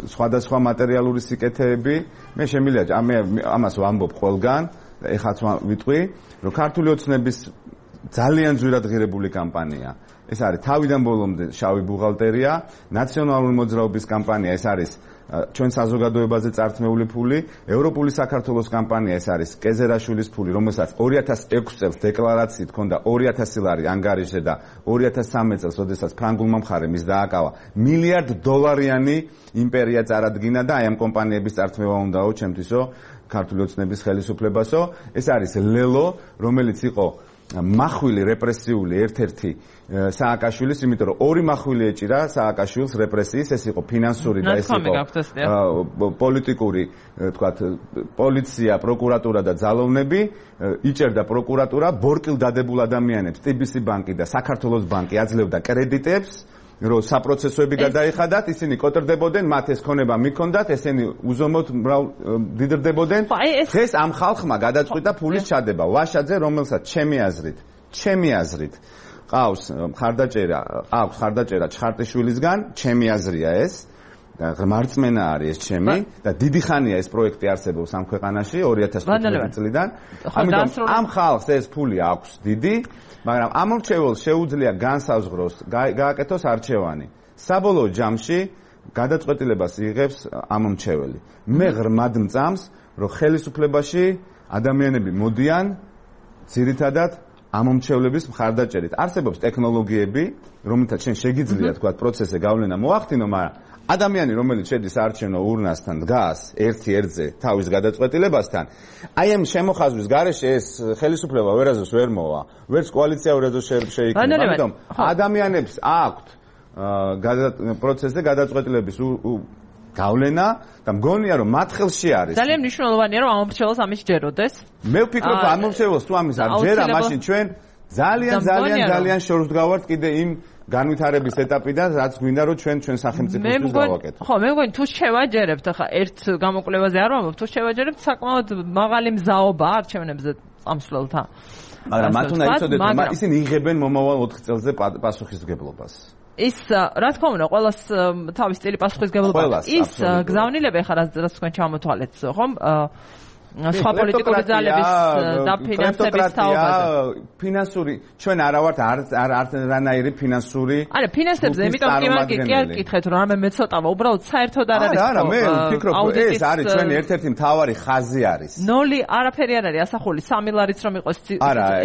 სხვადასხვა მატერიალური სიკეთეები. მე შემიძლია ამას ვამბობ ყველგან, ეხაც ვიტყვი, რომ ქართული ოცნების ძალიან ძვირად ღირებული კამპანია. ეს არის თავიდან ბოლომდე შავი ბუღალტერია, ნაციონალური მოძრაობის კამპანია, ეს არის ჩვენ საზოგადოებაზე წართმეული ფული, ევროპული საქართველოს კამპანია, ეს არის კეზერაშვილის ფული, რომელსაც 2006 წელს დეკლარაციით ჰქონდა 2000 ლარი ანგარიშზე და 2013 წელს, როდესაც ფრანგულმა მხარემ ის დააკავა, $1 მილიარდიანი იმპერია წარადგინა და აი ამ კომპანიების წართმევა უნდაო ჩემთვისო, ქართული ოცნების ხელისუფლებასო. ეს არის ლელო, რომელიც იყო მახვილი რეპრესიული ერთ-ერთი სააკაშვილის, იმიტომ რომ ორი მახვილი ეჭირა სააკაშვილს რეპრესიის, ეს იყო ფინანსური და ეს იყო პოლიტიკური, თქვათ, პოლიცია, პროკურატურა და ძალოვნები, იჭერდა პროკურატურა ბორკილ დადებულ ადამიანებს, TBC ბანკი და საქართველოს ბანკი აძლევდა კრედიტებს, რომ საპროცესოები გადაიხადათ, ისინი კოტრდებოდნენ, მათ ეს ქონება მიქონდათ, ესენი უზომოდ დიდრდებოდნენ. დღეს ამ ხალხმა გადაწყვიტა ფულის ჩადება. ვაშაძე, რომელსაც ჩემი აზრით ყავს ხარდაჭერა ჩხარტიშვილისგან, ჩემი აზრია ეს. მარწმენა არის ეს ჩემი და დიდი ხანია ეს პროექტი არსებობს ამ ქვეყანაში 2015 წლიდან. ამიტომ ამ ხალხს ეს ფული აქვს დიდი, მაგრამ ამ მრჩეველს შეუძლია განსაზღვროს, გააკეთოს არჩევანი. საბოლოო ჯამში გადაწყვეტილებას იღებს ამ მრჩეველი. მე ღრმად მწამს, რომ ხელისუფლებაში ადამიანები მოდიან ძირითადად ამ მრჩევლების მხარდაჭერით. არსებობს ტექნოლოგიები, რომელთაც შენ შეგიძლია თქვა პროცესზე გავლენა მოახდინო, მაგრამ ადამიანი, რომელიც შედის არჩევნო ურნასთან დგას ერთ-ერთზე თავის გადაწყვეტილებასთან, აი ამ შემოხაზვის გარეშე ეს ხელისუფლება ვერაზოს ვერ მოვა, ვერც კოალიცია ვერაზოს შეიქმნება. ამიტომ ადამიანებს აქვთ პროცესზე გადაწყვეტილების გავლენა და მგონია რომ მათ ხელში არის. ძალიან მნიშვნელოვანია რომ ამ მრჩეველს ამის ჯეროდეს. მე ვფიქრობ ამ მრჩეველს თუ ამის არ ჯერა, მაშინ ჩვენ ძალიან შორს ვდგავართ კიდე იმ განვითარების ეტაპიდან, რაც გვინდა რომ ჩვენ სახელმწიფოსთვის გავაკეთოთ. ხო, მე მგონი თუ შევაჯერებთ, ახლა ერთ გამოკვლევაზე არ ვამბობ, თუ შევაჯერებთ საკმაოდ მაღალი მზაობა არჩევნებზე წამსვლელთან. მაგრამ მათ უნდა იცოდეთ, რომ ისინი იღებენ მომავალ 4 წელზე პასუხისმგებლობას. ის რა თქმა უნდა, ყველას თავის სტილი პასუხისმგებლობა. ის გზავნილება ახლა რაც თქვენ ჩამოთვალეთ, ხომ? სხვა პოლიტიკური ძალების დაფინანსების თაობაზე. ფინანსური, ჩვენ არა ვართ არანაირი ფინანსური. არა, ფინანსებზე, იმიტომ კი არ გკითხეთ, რომ რამე მეცოტავა, უბრალოდ საერთოდ არ არის. არა, მე ვფიქრობ, ეს არის ჩვენი ერთ-ერთი მთავარი ხაზი არის. ნოლი არაფერი არ არის ასახული, 3 ლარიც რომ იყოს.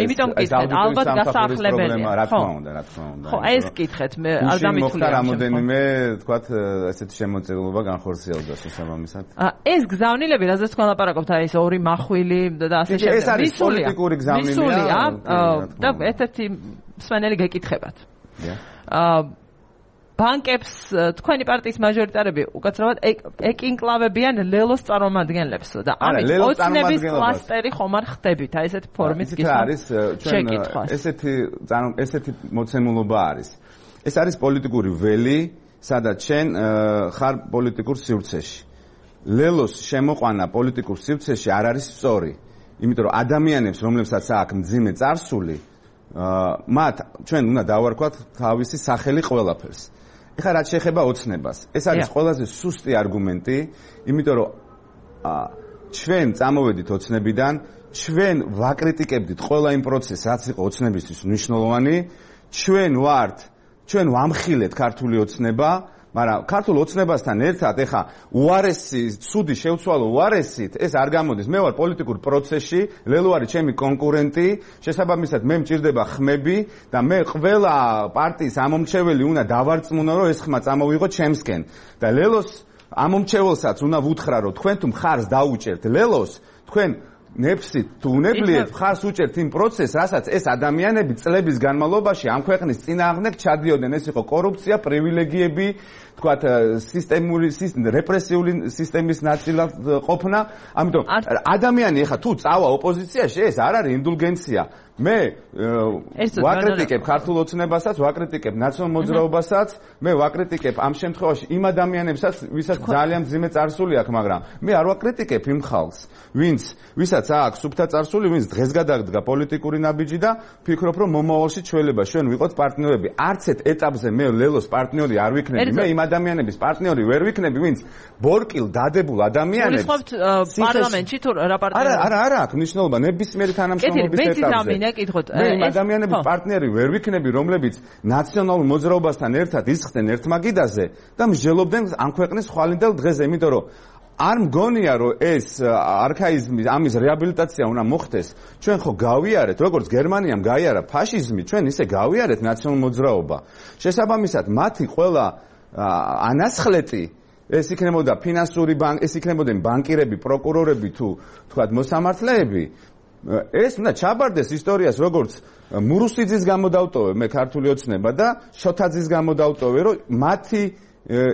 იმიტომ გკითხეთ, ალბათ გასაახლებელია. რა თქმა უნდა. ხო, ეს გკითხეთ, მე არ დამითვლია. რამოდენიმე, თქვათ, ესეთი შემოწირულობა განხორციელდა შესაბამისად. ეს გზავნილები, რაზეც თქვენ ლაპარაკობთ, აი ეს ორი მახვილი და ასე შემდეგ. ეს არის პოლიტიკური გზავნილია და ერთ-ერთი მსმენელი გეკითხებათ. ბანკებს თქვენი პარტიის მაჟორიტარები უკაცრავად ეკინკლავებიან ლელოს წარმომადგენლებს და ამით ოცნების კლასტერი ხომ არ ხდებით? აი ესეთი ფორმის გისმა. ესეთი მოცემულობა არის. ეს არის პოლიტიკური ველი, სადაც შენ ხარ პოლიტიკურ სივრცეში. ლელოს შემოყვანა პოლიტიკურ სივრცეში არ არის სწორი. იმიტომ რომ ადამიანებს, რომლებსაც აქვს მძიმე წარსული, მათ ჩვენ უნდა დავარქვათ თავისი სახელი ყველაფერს. ეხლა რაც შეეხება ოცნებას, ეს არის ყველაზე სუსტი არგუმენტი, იმიტომ რომ ჩვენ წამოვედით ოცნებიდან, ჩვენ ვაკრიტიკებდით ყველა იმ პროცესს, რაც იყო ოცნებისთვის მნიშვნელოვანი, ჩვენ ვამხილეთ ქართული ოცნება, მაგრამ ქართულ ოცნებასთან ერთად ეხა უარესი, ცუდი შევცვალო უარესით, ეს არ გამოდის. მე ვარ პოლიტიკურ პროცესში, ლელო არის ჩემი კონკურენტი, შესაბამისად მე მჭირდება ხმები და მე ყველა პარტიის ამომრჩეველი უნდა დავარწმუნო, რომ ეს ხმა წამოვიღო ჩემსკენ. და ლელოს ამომრჩეველსაც უნდა ვუთხრა, რომ თქვენ თუ მხარს დაუჭერთ ლელოს, თქვენ ნეფსით თუ უნებლიეთ მხარს უჭერთ იმ პროცესს, რასაც ეს ადამიანები წლების განმავლობაში ამ ქვეყნის წინააღმდეგ ჩადიოდნენ. ეს იყო კორუფცია, პრივილეგიები, თქვათ რეპრესიული სისტემის ნაწილად ყოფნა. ამიტომ ადამიანი ეხა თუ წავა ოპოზიციაში, ეს არ არის ინდულგენცია. მე ვაკრიტიკებ ქართულ ოცნებასაც, ვაკრიტიკებ ნაციონალურ მოძრაობასაც, მე ვაკრიტიკებ ამ შემთხვევაში იმ ადამიანებსაც, ვისაც ძალიან მძიმე წარსული აქვს, მაგრამ მე არ ვაკრიტიკებ იმ ხალხს, ვისაც აქვს სუფთა წარსული, ვინც დღეს გადაგდგა პოლიტიკური ნაბიჯი და ფიქრობ, რომ მომავალში ჩვენება ჩვენ ვიყოთ პარტნიორები. არც ერთ ეტაპზე მე ლელოს პარტნიორი არ ვიქნები. მე იმ ადამიანების პარტნიორი ვერ ვიქნები, ვინც ბორკილ დადებულ ადამიანებს პარლამენტში თუ რა პარტნიორი? არა აქვს მნიშვნელობა ნებისმიერი თანამშრომლობის ეტაპზე. მე იმ ადამიანების პარტნიორი ვერ ვიქნები, რომლებიც ნაციონალურ მოძრაობასთან ერთად ისხდნენ ერთმაგიდაზე და მსჯელობდნენ ამ ქვეყნის ხვალინდელ დღეზე, იმიტომ რომ არ მგონია რომ ეს არქაიზმი, ამის რეაბილიტაცია უნდა მოხდეს. ჩვენ ხო გავიარეთ, როგორც გერმანიამ გაიარა ფაშიზმი, ჩვენ ისე გავიარეთ ნაციონალურ მოძრაობა. შესაბამისად, მათი ყველა ანასხლეტი ეს იქნებოდა ფინანსური ეს იქნებოდნენ ბანკირები, პროკურორები თუ თქვათ მოსამართლეები. ეს უნდა ჩაბარდეს ისტორიას, როგორც მურუსიძის გამოდავტოვე მე ქართული ოცნება და შოთაძის გამოდავტოვე, რომ მათი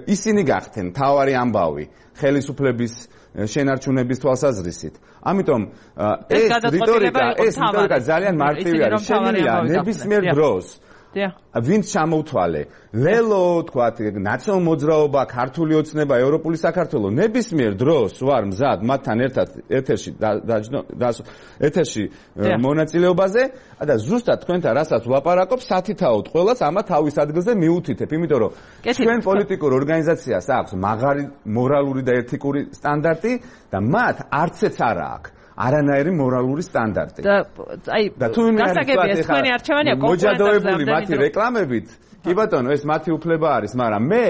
ისინი გახდნენ თავარი ამბავი ხელისუფლების შენარჩუნების თვალსაზრისით. ამიტომ ეს რიტორიკა ძალიან მარტივი არის. შეგვიძლია ნებისმიერ დროს ვინც ჩამოვთვალე ლელო, თქვათ, ნაციონალურ მოძრაობა, ქართული ოცნება, ევროპული საქართველო, ნებისმიერ დროს ვარ მზად მათთან ერთად ეთერში მონაწილეობაზე და ზუსტად თქვენთან რასაც ვლაპარაკობ, სათითაოდ ყველას ამა თავის ადგილზე მიუთითებ, იმიტომ რომ ჩვენ პოლიტიკურ ორგანიზაციას აქვს მაღალი მორალური და ეთიკური სტანდარტი და მათ არცეც არ აქვს არანაირი მორალური სტანდარტი. და თუ გასაგებია თქვენი არჩევანია მოჯადოებული მათი რეკლამებით, კი ბატონო, ეს მათი უფლება არის, მაგრამ მე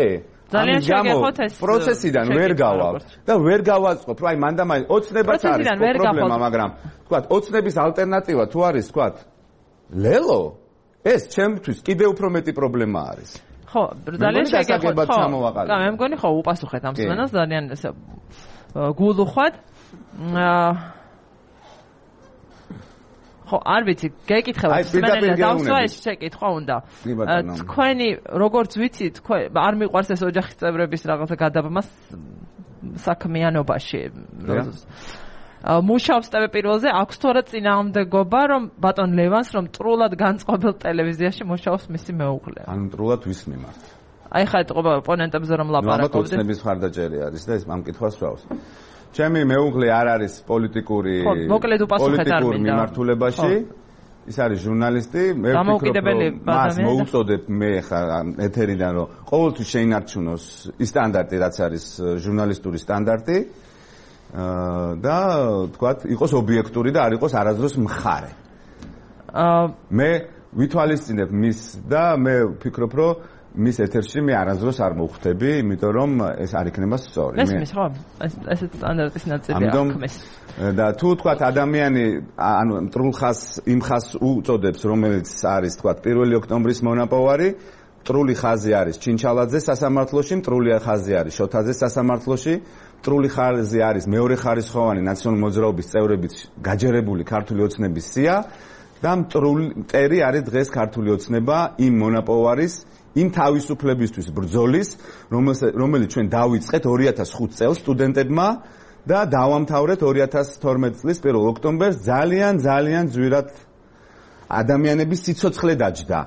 ძალიან შეგეხოთ ეს პროცესიდან ვერ გავალ და ვერ გავაწყობ, აი მანდამაინ ოცნებაც არის პრობლემა, მაგრამ თქვათ, ოცნების ალტერნატივა თუ არის, თქვათ, ლელო, ეს ჩემთვის კიდევ უფრო მეტი პრობლემა არის. ხო, ძალიან შეგეხოთ. ხო, მე მგონი ხო უპასუხეთ ამ სმენას, ძალიან გულუხვად. ხო, არ ვიცი, გეკითხება სმენელია დავსვა ეს შეკითხვა უნდა. თქვენი როგორც ვიცი, თქვენ არ მიყვარს ეს ოჯახის წევრების რაღაცა გადაბმა საქმიანობაში. მუშაობს TV პირველზე, აქვს თუ არა წინააღმდეგობა, რომ ბატონ ლევანს რომ ტრულად განწყობილ ტელევიზიაში მუშაობს მისი მეუღლე. ანუ ტრულად ვის მიმართ? აი ხა ეთყობა ოპონენტებზე რომ ლაპარაკობდნენ. ოცნების მხარდაჭერი არის და ეს ამ კითხვას ვსვავს. ჩემი მეუღლე არ არის პოლიტიკური მიმართულებაში. ის არის ჟურნალისტი. მე ვფიქრობ, რომ მას მოუწოდებ მე ხა ეთერიდან, რომ ყოველთვის შეინარჩუნოს ის სტანდარტი, რაც არის ჟურნალისტური სტანდარტი. და თქვათ, იყოს ობიექტური და არ იყოს არასდროს მხარე. მე ვითვალისწინებ მის და მე ვფიქრობ, რომ მის ეთერში მე არასდროს არ მოვხვდები, იმიტომ რომ ეს არ იქნება სწორი. მესმის ხო? ესეც სტანდარტის ნაწილია ხმის. და თუ თქვათ ადამიანი ანუ მტრულ ხაზს იმ ხაზს უწოდებს, რომელიც არის თქვათ 1 ოქტომბრის მონაპოვარი, მტრული ხაზი არის ჩინჩალაძეს სასამართლოში, მტრული ხაზი არის შოთაძეს სასამართლოში, მტრული ხაზი არის მეორე ხარისხოვანი ნაციონალური მოძრაობის წევრებით გაჯერებული ქართული ოცნების სია და მტერი არის დღეს ქართული ოცნება იმ მონაპოვარის იმ თავისუფლებისთვის ბრძოლის, რომელიც ჩვენ დავიწყეთ 2005 წელს სტუდენტებმა და დავამთავრეთ 2012 წლის 1 ოქტომბერს ძალიან ძვირად ადამიანების სიცოცხლე დაჯდა,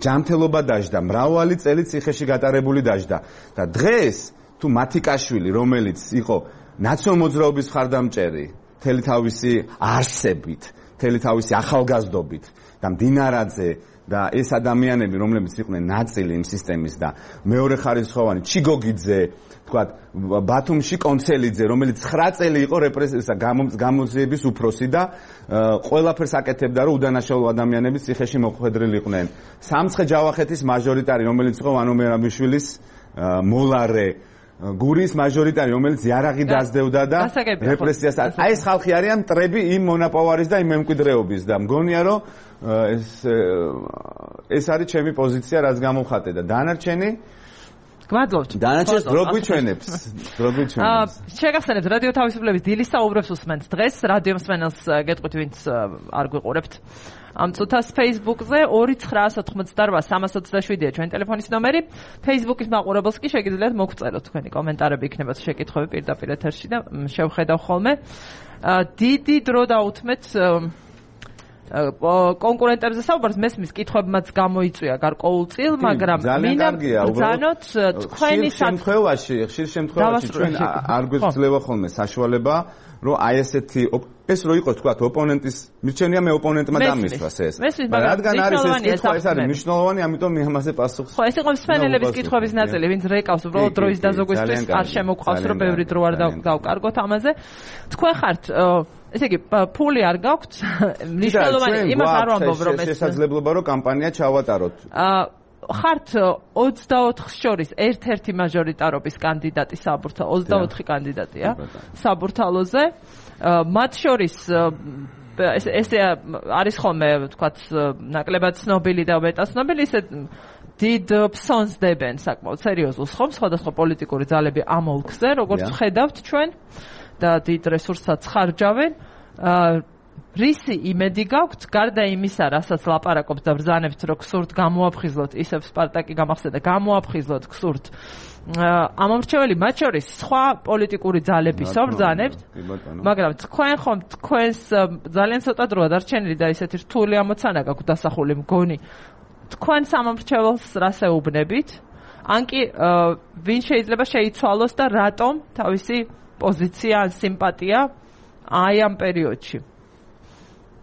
ჯანმრთელობა დაჯდა, მრავალი წელი ციხეში გატარებული დაჯდა და დღეს თუ მათიკაშვილი, რომელიც იყო ნაციონალურ მოძრაობის მხარდამჭერი, მთელი თავისი არსებით, მთელი თავისი ახალგაზრდობით და მდინარაძე და ეს ადამიანები, რომლებიც იყვნენ ნაწილი იმ სისტემის და მეორე ხარისხოვანი ჩიგოგიძე, თქვათ, ბათუმში კონცელიძე, რომელიც 9 წელი იყო რეპრესიისა გამოძიების უფროსი და ყველაფერს აკეთებდა, რომ უდანაშაულო ადამიანები ციხეში მოხვედრილი იყვნენ. სამცხე-ჯავახეთის მაჟორიტარი, რომელიც იყო ვანო მერაბიშვილის მოლარე, გურიის მაჟორიტარი, რომელიც იარაღი დაძდევდა და რეპრესიას. აი ეს ხალხი არიან მტრები იმ მონაპოვარის და იმ მემკვიდრეობის და მგონია, რომ ეს არის ჩემი პოზიცია, რაც გამოვხატე და დანარჩენი გმადლობთ. დანარჩენს დრო გვიჩვენებს. შეგახსენებთ რადიო თავისუფლების დილის საუბრებს უსმენთ დღეს რადიო მსმენელს გეტყვით ვინც არ გვიყურებთ ამ წუთას Facebook-ზე 2988327-ია ჩვენი ტელეფონის ნომერი. Facebook-ის მაყურებელს კი შეგიძლიათ მოგწეროთ თქვენი კომენტარები, იქნებათ შეკითხვები პირდაპირ ეთერში და შევხედავ ხოლმე. დიდი დრო დაუთმეთ კონკურენტებზე საუბარს, მესმის კითხვებმაც გამოიწვია გარკვეულწილ, მაგრამ მინდა ბრძანოთ თქვენი ხშირ შემთხვევაში ჩვენ არ გვეძლევა ხოლმე საშუალება, რომ აი ესეთი ეს რო იყოს თქვა ოპონენტის მირჩენია მე ოპონენტმა დამისვას ეს. რადგან არის ეს კითხვა, ეს არის მნიშვნელოვანი, ამიტომ მე ამაზე პასუხს. ხო, ეს იყო მსმენელების კითხვების ნაწილი, ვინც რეკავს უბრალოდ დროის დაზოგვისთვის არ შემოგვყავს, რომ ბევრი დრო არ დავკარგოთ ამაზე. თქვენ ხართ ესე იგი ფული არ გაქვთ მნიშვნელოვანი იმას არ ვამბობ რომ ეს შესაძლებლობა რომ კამპანია ჩავატაროთ ხართ 24-ს შორის ერთ-ერთი მაჟორიტარობის კანდიდატი საბურთალოს 24 კანდიდატია საბურთალოზე მათ შორის ესე არის ხოლმე ვთქვათ ნაკლებად ცნობილი და მეტაცნობილი ისე დიდ ფსონს დებენ საკმაოდ სერიოზულს ხომ სხვადასხვა პოლიტიკური ძალები ამ ოლქზე როგორც ხედავთ ჩვენ და დიდ რესურსსაც ხარჯავენ. რისი იმედი გაქვთ, გარდა იმისა, რასაც ლაპარაკობთ და ბრძანებთ, რომ გსურთ გამოაფხიზლოთ, ისევ სპარტაკი გამახსენდა, გამოაფხიზლოთ გსურთ. ამომრჩეველი მათ შორის სხვა პოლიტიკური ძალებისო ბრძანებთ, მაგრამ თქვენ ხომ თქვენს ძალიან ცოტა დროა დარჩენილი და ისეთი რთული ამოცანა გაქვთ დასახული მგონი. თქვენ სამომრჩეველს რას ეუბნებით? ან კი ვინ შეიძლება შეიცვალოს და რატომ თავისი პოზიცია ან სიმპათია აი ამ პერიოდში.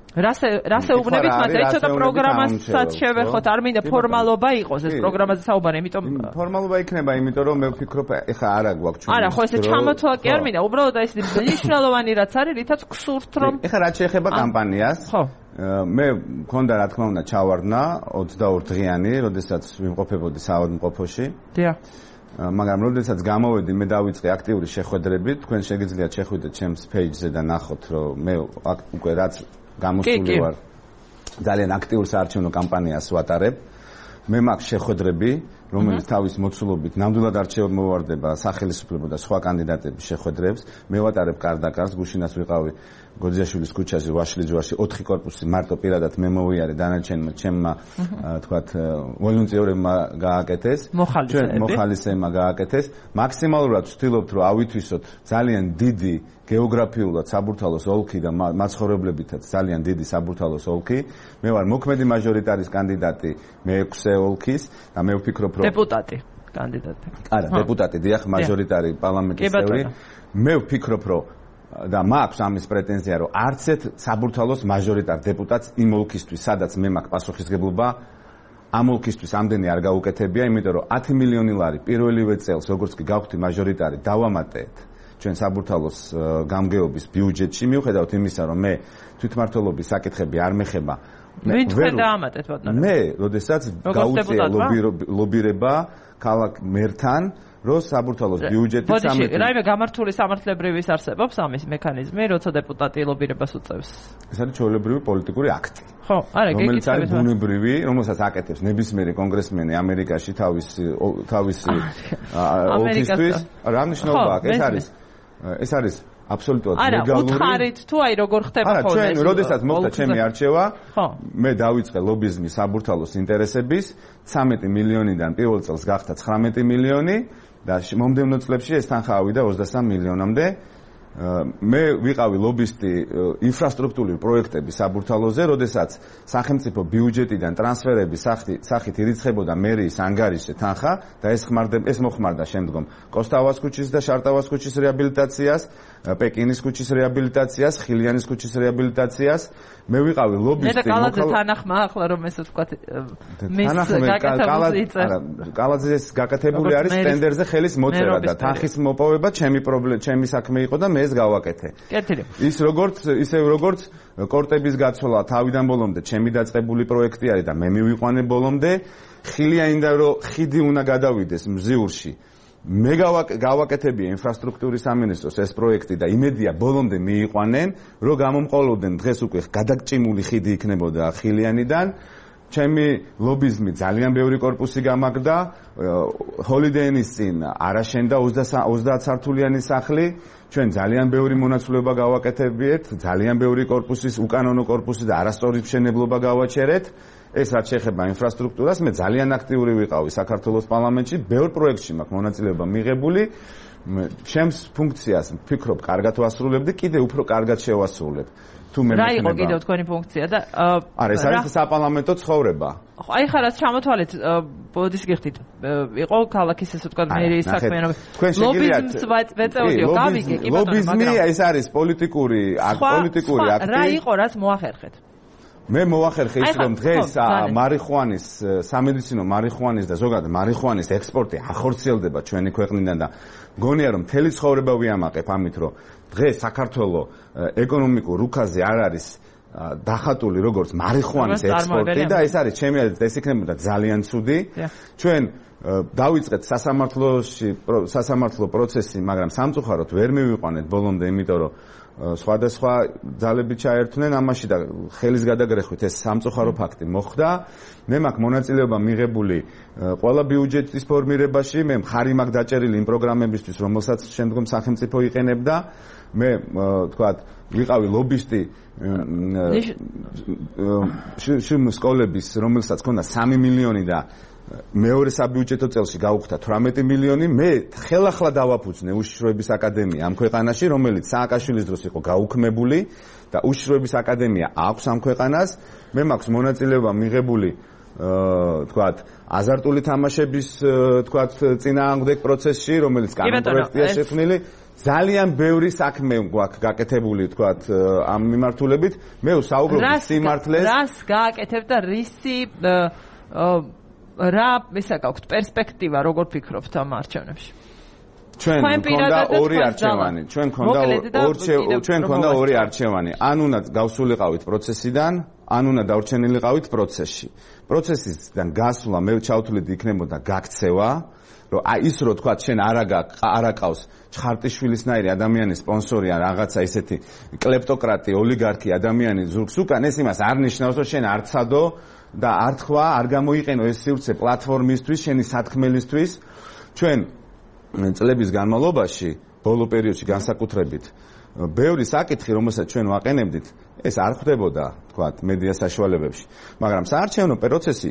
რას ეუბნებით მას? აი ცოტა პროგრამასაც შევეხოთ, არ მინდა ფორმალობა იყოს ეს პროგრამაზე საუბარი, იმიტომ ფორმალობა იქნება, იმიტომ რომ მე ვფიქრობ, ეხა არა გვაქვს ჩვენ. არა, ხო ესე ჩამოთვალა კი არ მინდა, უბრალოდ აი ეს მნიშვნელოვანი რაც არის, რითაც გსურთ რომ ეხა რაც შეეხება კამპანიას. ხო. მე მქონდა რა თქმა უნდა ჩავარდნა 22 დღიანი, როდესაც ვიმყოფებოდი საავადმყოფოში. დიახ. მაგრამ როდესაც გამოვედი, მე დავიწყე აქტიური შეხვედრები, თქვენ შეგიძლიათ შეხვიდეთ ჩემს page-ზე და ნახოთ, რომ მე უკვე რაც გამოსული ვარ. ძალიან აქტიურ საარჩევნო კამპანიას ვატარებ. მე მაქვს შეხვედრები, რომელიც თავის მოცულობით ნამდვილად არჩევნად მოვარდება სახელმწიფო და სხვა კანდიდატების შეხვედრებს. მე ვატარებ კარდაკარს, გუშინაც ვიყავი გოძიაშვილის ქუჩაზე, ვაშლიჯვარში 4 კორპუსი მარტო პირადად მე მოვიარე, დანარჩენმა ჩემმა თქვათ ვოლუნტიორებმა გააკეთეს. მოხალისეებმა გააკეთეს. მაქსიმალურად ვცდილობთ, რომ ავითვისოთ ძალიან დიდი გეოგრაფიულად საბურთალოს ოლქი და მაცხოვრებლებითაც ძალიან დიდი საბურთალოს ოლქი. მე ვარ მოქმედი მაჟორიტარის კანდიდატი მე-6 ოლქის და მე ვფიქრობ, რომ დეპუტატი კანდიდატი. არა, დეპუტატი, დიახ, მაჟორიტარი პარლამენტის წევრი. მე ვფიქრობ, რომ და მაქვს ამის პრეტენზია, რომ არც ერთ საბურთალოს მაჟორიტარ დეპუტატს იმ ოლქისთვის, სადაც მე მაქვს პასუხისმგებლობა, ამ ოლქისთვის ამდენი არ გაუკეთებია, იმიტომ რომ 10 მილიონი ლარი პირველივე წელს, როგორც კი გავხდი მაჟორიტარი, დავამატეთ ჩვენ საბურთალოს გამგეობის ბიუჯეტში, მიუხედავად იმისა, რომ მე თვითმმართველობის საკითხები არ მეხება. ვინ თქვენ დაამატეთ ბატონო? მე, როდესაც გაუწია ლობირება ქალაქ მერთან, რომ საბურთალოს ბიუჯეტი 13 რაიმე გამართული სამართლებრივის არსებობს ამის მექანიზმი, როცა დეპუტატი ლობირებას უწევს. ეს არის ჩვეულებრივი პოლიტიკური აქტი. ხო, არა, რომელიც არის ბუნებრივი, რომელსაც აკეთებს ნებისმიერი კონგრესმენი ამერიკაში თავისი ოლქისთვის. რა მნიშვნელობა აქვს? ეს არის აბსოლუტურად ლეგალური. არა, უთხარით თუ აი როგორ ხდება ხოლმე. არა, ჩვენ როდესაც მოხდა ჩემი არჩევა, მე დავიწყე ლობიზმი საბურთალოს ინტერესების 13 მილიონიდან პირველ წელს გახდა 19 მილიონი და მომდევნო წლებში ეს თანხა ავიდა 23 მილიონამდე. მე ვიყავი ლობისტი ინფრასტრუქტურული პროექტების საბურთალოზე, როდესაც სახელმწიფო ბიუჯეტიდან ტრანსფერების სახით ირიცხებოდა მერიის ანგარიშზე თანხა და ეს მოხმარდა შემდგომ კოსტავას ქუჩის და შარტავას ქუჩის რეაბილიტაციას, პეკინის ქუჩის რეაბილიტაციას, ხილიანის ქუჩის რეაბილიტაციას. მე ვიყავი ლობისტი. მე კალაძე თანახმა ახლა რომ ესე ვთქვათ კალაძეს გაკეთებული არის ტენდერზე ხელის მოწერა და თანხის მოპოვება ჩემი საქმე იყო და მე ეს გავაკეთე. ისევ როგორც კორტების გაცვლა თავიდან ბოლომდე ჩემი დაწყებული პროექტი არის და მე მივიყვანე ბოლომდე. ხილიანიდან რომ ხიდი უნდა გადავიდეს მზიურში. მე გავაკეთებია ინფრასტრუქტურის სამინისტროს ეს პროექტი და იმედია ბოლომდე მიიყვანენ, რომ გამომყოლოდნენ დღეს უკვე გადაგჭიმული ხიდი იქნებოდა ხილიანიდან. ჩემი ლობიზმი ძალიან ბევრი კორპუსი გამაგდა, ჰოლიდეინის წინ არაშენდა 30 სართულიანი სახლი. ჩვენ ძალიან ბევრი მონაცვლეობა გავაკეთებიეთ, ძალიან ბევრი კორპუსის, უკანონო კორპუსი და არასწორი მშენებლობა გავაჩერეთ. ეს რაც შეეხება ინფრასტრუქტურას, მე ძალიან აქტიური ვიყავი საქართველოს პარლამენტში, ბევრ პროექტში მაქვს მონაწილეობა მიღებული. ჩემს ფუნქციას ვფიქრობ, კარგად ვასრულებდი, კიდე უფრო კარგად შევასრულებ. თუ მე რა იყო კიდევ თქვენი ფუნქცია და არა, ეს არის საპარლამენტო ცხოვრება. აი ხა რაც ჩამოთვალეთ, ბოდის გიხდით, იყო ქალაქის ესე ვთქვათ მერიის საქმიანობა. ლობიზმს ვეწეოდიო, გავიგე კი ბატონო, ლობიზმი ეს არის პოლიტიკური აქტი. რა იყო, რაც მოახერხეთ? მე მოახერხე ის რომ დღეს მარიხუანის სამედიცინო მარიხუანის და ზოგადად მარიხუანის ექსპორტი ახორციელდება ჩვენი ქვეყნიდან და მგონია რომ მთელი ცხოვრება ვიამაყებ ამით რომ დღეს საქართველოს ეკონომიკურ რუკაზე არ არის დახატული როგორც მარიხუანის ექსპორტი და ეს არის ჩემი აზრით ეს იქნებოდა ძალიან ცუდი. ჩვენ დავიწყეთ სასამართლო პროცესი, მაგრამ სამწუხაროდ ვერ მივიყვანეთ ბოლომდე, იმიტომ რომ სხვადასხვა ძალები ჩაერთვნენ ამაში და ხელის გადაგრეხვით ეს სამწუხარო ფაქტი მოხდა. მე მაქვს მონაწილეობა მიღებული ყველა ბიუჯეტის ფორმირებაში, მე მხარი მაქვს დაჭერილი იმ პროგრამებისთვის, რომელსაც შემდგომ სახელმწიფო იყენებდა. მე თქვათ ვიყავი ლობისტი სკოლების, რომელსაც ჰქონდა 3 მილიონი და მეორე საბიუჯეტო წელში გაუხდა 18 მილიონი. მე ხელახლა დავაფუძნე უშიშროების აკადემია ამ ქვეყანაში, რომელიც სააკაშვილის დროს იყო გაუქმებული და უშიშროების აკადემია აქვს ამ ქვეყანას. მე მაქვს მონაწილეობა მიღებული თქვათ აზარტული თამაშების თქვათ წინააღმდეგ პროცესში, რომელიც კანონპროექტია შექმნილი. ძალიან ბევრი საქმე გვაქვს გაკეთებული თქვათ ამ მიმართულებით. მე ვსაუბრობ სიმართლეს. რას გააკეთებ და რისი რა ისა გაქვთ პერსპექტივა, როგორ ფიქრობთ ამ არჩევნებში? ჩვენ გქონდა ორი არჩევანი. ჩვენ გქონდა ორი არჩევანი. ან უნდა გავსულიყავით პროცესიდან, ან უნდა დავრჩენილიყავით პროცესში. პროცესისგან გასვლა მე ჩავთვლით იქნებოდა გაქცევა, რომ აი ის რო თქვა შენ არაკავს ჩხარტიშვილისნაირი ადამიანის სპონსორი ან რაღაცა ისეთი კლეპტოკრატი, ოლიგარქი ადამიანი ზურგს უკან, ეს იმას არ ნიშნავს, რომ შენ არ ცადო და არ თქვა, არ გამოიყენო ეს სივრცე პლატფორმისთვის, შენი სათქმელისთვის. ჩვენ წლების განმავლობაში, ბოლო პერიოდში განსაკუთრებით, ბევრი საკითხი, რომელსაც ჩვენ ვაყენებდით, ეს არ ხდებოდა, თქვათ, მედია საშუალებებში. მაგრამ საარჩევნო პროცესი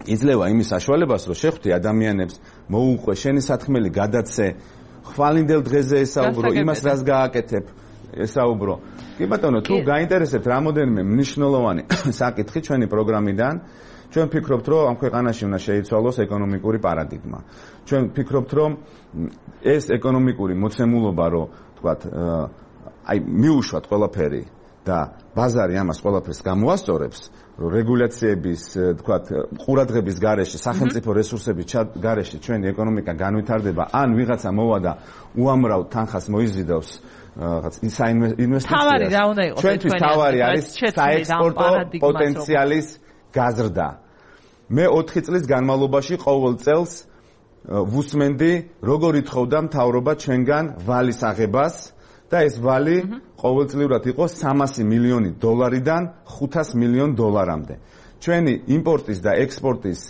იძლევა იმის საშუალებას, რომ შეხვდე ადამიანებს, მოუყვე, შენი სათქმელი გადაცე, ხვალინდელ დღეზე ესაუბრო, იმას რას გააკეთებ, ესაუბრო. კი ბატონო, თუ გაინტერესებთ რამოდენიმე მნიშვნელოვანი საკითხი ჩვენი პროგრამიდან, ჩვენ ვფიქრობთ, რომ ამ ქვეყანაში უნდა შეიცვალოს ეკონომიკური პარადიგმა. ჩვენ ვფიქრობთ, რომ ეს ეკონომიკური მოცემულობა, რომ თქვათ, აი მიუშვათ ყველაფერი და ბაზარი ამას ყველაფერს გამოასწორებს, რომ რეგულაციების, თქვათ, ყურადღების გარეშე, სახელმწიფო რესურსების გარეშე ჩვენი ეკონომიკა განვითარდება, ან ვიღაცა მოვა და უამრავ თანხას მოიზიდავს რაღაც ინვესტიციას. ჩვენთვის თავარი არის საექსპორტო პოტენციალის გაზრდა. მე 4 წლის განმავლობაში ყოველ წელს ვუსმენდი, როგორ ითხოვდა მთავრობა ჩვენგან ვალის აღებას და ეს ვალი ყოველწლიურად იყო 300 მილიონი დოლარიდან 500 მილიონ დოლარამდე. ჩვენი იმპორტის და ექსპორტის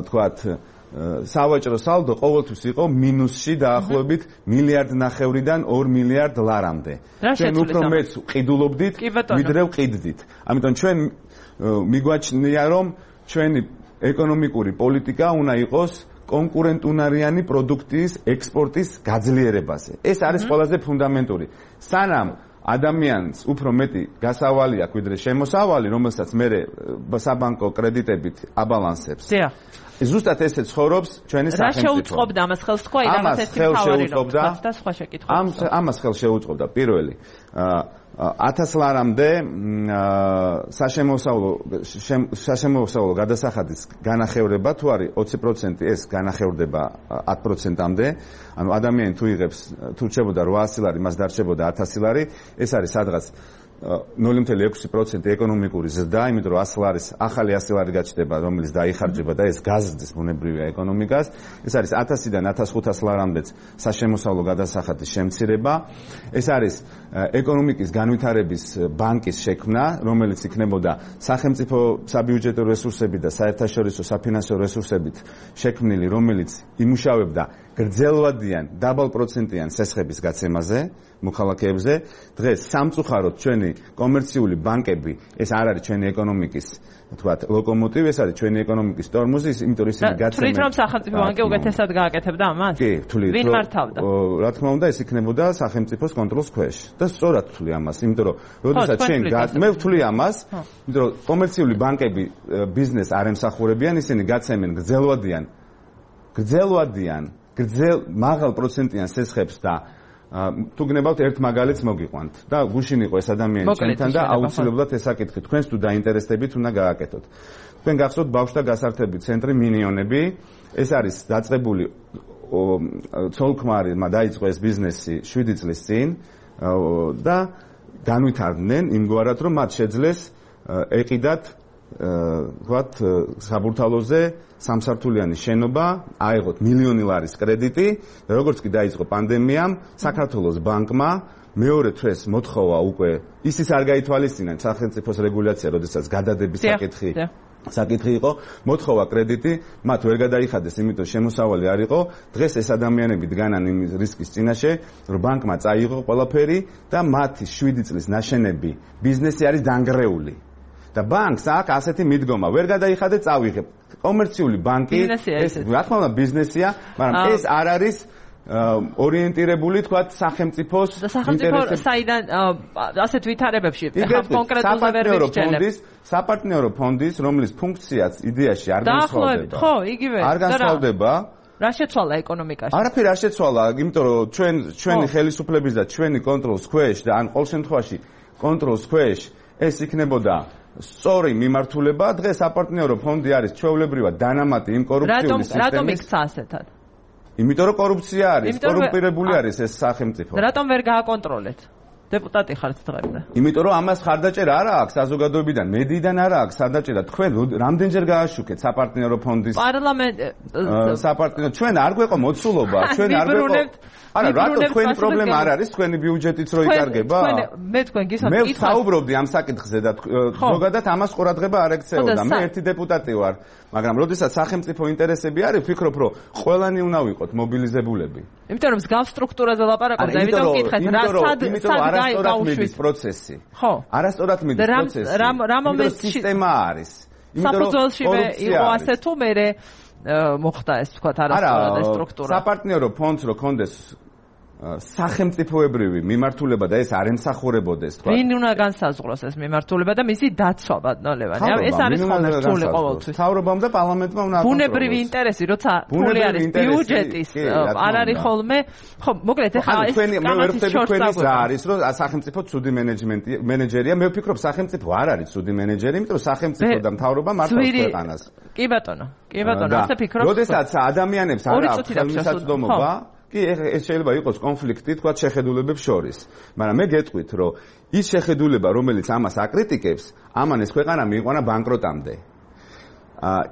თქვათ სავაჭრო სალდო ყოველთვის იყო მინუსში დაახლოებით 1.5 მილიარდიდან 2 მილიარდ ლარამდე. ჩვენ უფრო მეც ყიდულობდით, ვიდრე ვყიდდით. ამიტომ ჩვენ მიგვაჩნია, რომ ჩვენი ეკონომიკური პოლიტიკა უნდა იყოს კონკურენტუნარიანი პროდუქტის ექსპორტის გაძლიერებაზე. ეს არის ყველაზე ფუნდამენტური. სანამ ადამიანს უფრო მეტი გასავალი აქვს ვიდრე შემოსავალი, რომელსაც მე საბანკო კრედიტებით აბალანსებს. ზუსტად ესე ცხოვრობს ჩვენი სახელმწიფო. რა შეუწყობდა ამას ხელს თქვა, რაღაც ეს თავარი და სხვა შეკითხვები. ამას ხელს შეუწყობდა პირველი 1000 ლარამდე საშემოსავლო გადასახადის განახევრება თუ არის 20% ეს განახევრდება 10%-მდე. ანუ ადამიანი თუ იღებს თუ რჩებოდა 800 ლარი, მას დარჩებოდა 1000 ლარი, ეს არის სადღაც 0.6% ეკონომიკური ზრდა, იმიტომ რომ 100 ლარის ახალი 100 ლარი გაჩნდება, რომელიც დაიხარჯება და ეს გაზრდის ბუნებრივია ეკონომიკას. ეს არის 1000-დან 1500 ლარამდეც საშემოსავლო გადასახადის შემცირება. ეს არის ეკონომიკის განვითარების ბანკის შექმნა, რომელიც იქნებოდა სახელმწიფო საბიუჯეტო რესურსები და საერთაშორისო საფინანსო რესურსებით შექმნილი, რომელიც იმუშავებდა გრძელვადიან დაბალპროცენტიან სესხების გაცემაზე მოქალაქეებზე. დღეს სამწუხაროდ ჩვენი კომერციული ბანკები ეს არ არის ჩვენი ეკონომიკის თქვათ ლოკომოტივი, ეს არის ჩვენი ეკონომიკის ტორმოზი, იმიტომ რომ ისინი გაცემენ. თვლით რომ სახელმწიფო ბანკი უკეთესად გააკეთებდა ამას? კი, თვლით. ვინ მართავდა? რა თქმა უნდა, ეს იქნებოდა სახელმწიფოს კონტროლის ქვეშ. და სწორად თვლი ამას, იმიტომ რომ როდესაც მე ვთვლი ამას, იმიტომ რომ კომერციული ბანკები ბიზნესს არ ემსახურებიან, ისინი გაცემენ გრძელვადიან მაღალ პროცენტიან სესხებს და თუ გნებავთ ერთ მაგალითს მოგიყვანთ და გუშინ იყო ეს ადამიანი ჩვენთან და აუცილებლად ეს აკითხით. თქვენს თუ დაინტერესდებით უნდა გააკეთოთ. თქვენ გახსოვთ ბავშვთა გასართობი ცენტრი მინიონები, ეს არის დაწყებული ცოლ-ქმარმა დაიწყო ეს ბიზნესი 7 წლის წინ და განვითარდნენ იმგვარად რომ მათ შეძლეს ეყიდათ ვთქვათ საბურთალოზე სამსართულიანი შენობა, აიღოთ 1 მილიონი ლარის კრედიტი და როგორც კი დაიწყო პანდემიამ, საქართველოს ბანკმა მეორე თვეს მოთხოვა უკვე ისიც არ გაითვალისწინა სახელმწიფოს რეგულაცია, როდესაც გადადების საკითხი იყო, მოთხოვა კრედიტი, მათ ვერ გადაიხადეს, იმიტომ შემოსავალი არ იყო. დღეს ეს ადამიანები დგანან იმ რისკის წინაშე, რომ ბანკმა წაიღო ყველაფერი და მათი 7 წლის ნაშენები ბიზნესი არის დანგრეული. და ბანკს აქვს ასეთი მიდგომა, ვერ გადაიხადე, წავიღებ. კომერციული ბანკი, ეს რა თქმა უნდა ბიზნესია, მაგრამ ეს არ არის ორიენტირებული, თქვათ, სახელმწიფოს ინტერესებს. საიდან ასეთ ვითარებებში კონკრეტულად ვერ ვიჩვენებ. საპარტნიორო ფონდის, რომლის ფუნქციაც იდეაში არ განსხვავდება. ხო, იგივე. არ განსხვავდება. რა შეცვალა ეკონომიკაში? არაფერი არ შეცვალა, იმიტომ რომ ჩვენი ხელისუფლების და ჩვენი კონტროლის ქვეშ და ან ყოველ შემთხვევაში კონტროლის ქვეშ ეს იქნებოდა სწორი მიმართულება. დღეს საპარტნიორო ფონდი არის ჩვეულებრივად დანამატი იმ კორუფციული სისტემის. რატომ იქცა ასეთად? იმიტომ რომ კორუფცია არის, კორუმპირებული არის ეს სახელმწიფო. რატომ ვერ გააკონტროლეთ? დეპუტატი ხართ დღემდე. იმიტომ რომ ამას ხარდაჭერა არ აქვს საზოგადოებიდან, მედიიდან არ აქვს ხარდაჭერა. თქვენ რამდენჯერ გააშუქეთ საპარტნიორო ფონდის საპარტნიორო ჩვენ არ გვეყო მოცულობა, ჩვენ არ გვეყო. არა, რატო თქვენი პრობლემა არ არის თქვენი ბიუჯეტიც რო იკარგება? მე თქვენ გისმენთ. მე ვსაუბრობდი ამ საკითხზე და ზოგადად ამას ყურადღება არ ექცეოდა. მე ერთი დეპუტატი ვარ, მაგრამ როდესაც სახელმწიფო ინტერესები არის, ვფიქრობ, რომ ყველანი უნდა ვიყოთ მობილიზებულები. იმიტომ რომ მსგავს სტრუქტურაზე ლაპარაკობ და იმიტომ ვკითხეთ, რა სად არასწორად მიდის პროცესი. ხო. არასწორად მიდის პროცესი. რა მომენტში სისტემა არის. საფუძველში იყო ასე თუ მე მოხდა ეს თქვათ არასწორად ეს სტრუქტურა. საპარტნიორო ფონდს რო კონდეს სახელმწიფოებრივი მიმართულება და ეს არ ემსახურებოდეს თქვა. ვინ უნდა განსაზღვროს ეს მიმართულება და მისი დაცვა ბატონო? ეს არის ხოლმე რთული ყოველთვის. მთავრობამ და პარლამენტმა უნდა აკონტროლოს. ბუნებრივი ინტერესი, როცა ფული არის ბიუჯეტის, არ არის ხოლმე. ხო, მოკლედ ეხლა ეს მე ვერ ვხვდები თქვენი ზა არის, რომ სახელმწიფო ცუდი მენეჯერია. მე ვფიქრობ სახელმწიფო არ არის ცუდი მენეჯერი, იმიტომ რომ სახელმწიფო და მთავრობა მართავს ქვეყანას. კი ბატონო, ასე ფიქრობ. როდესაც ადამიანებს არ აქვს ხელმისაწვდომობა კი ეს შეიძლება იყოს კონფლიქტი თქვა შეხედულებებს შორის, მაგრამ მე გეტყვით, რომ ის შეხედულება, რომელიც ამას აკრიტიკებს, ამან ეს ქვეყანა მიიყვანა ბანკროტამდე.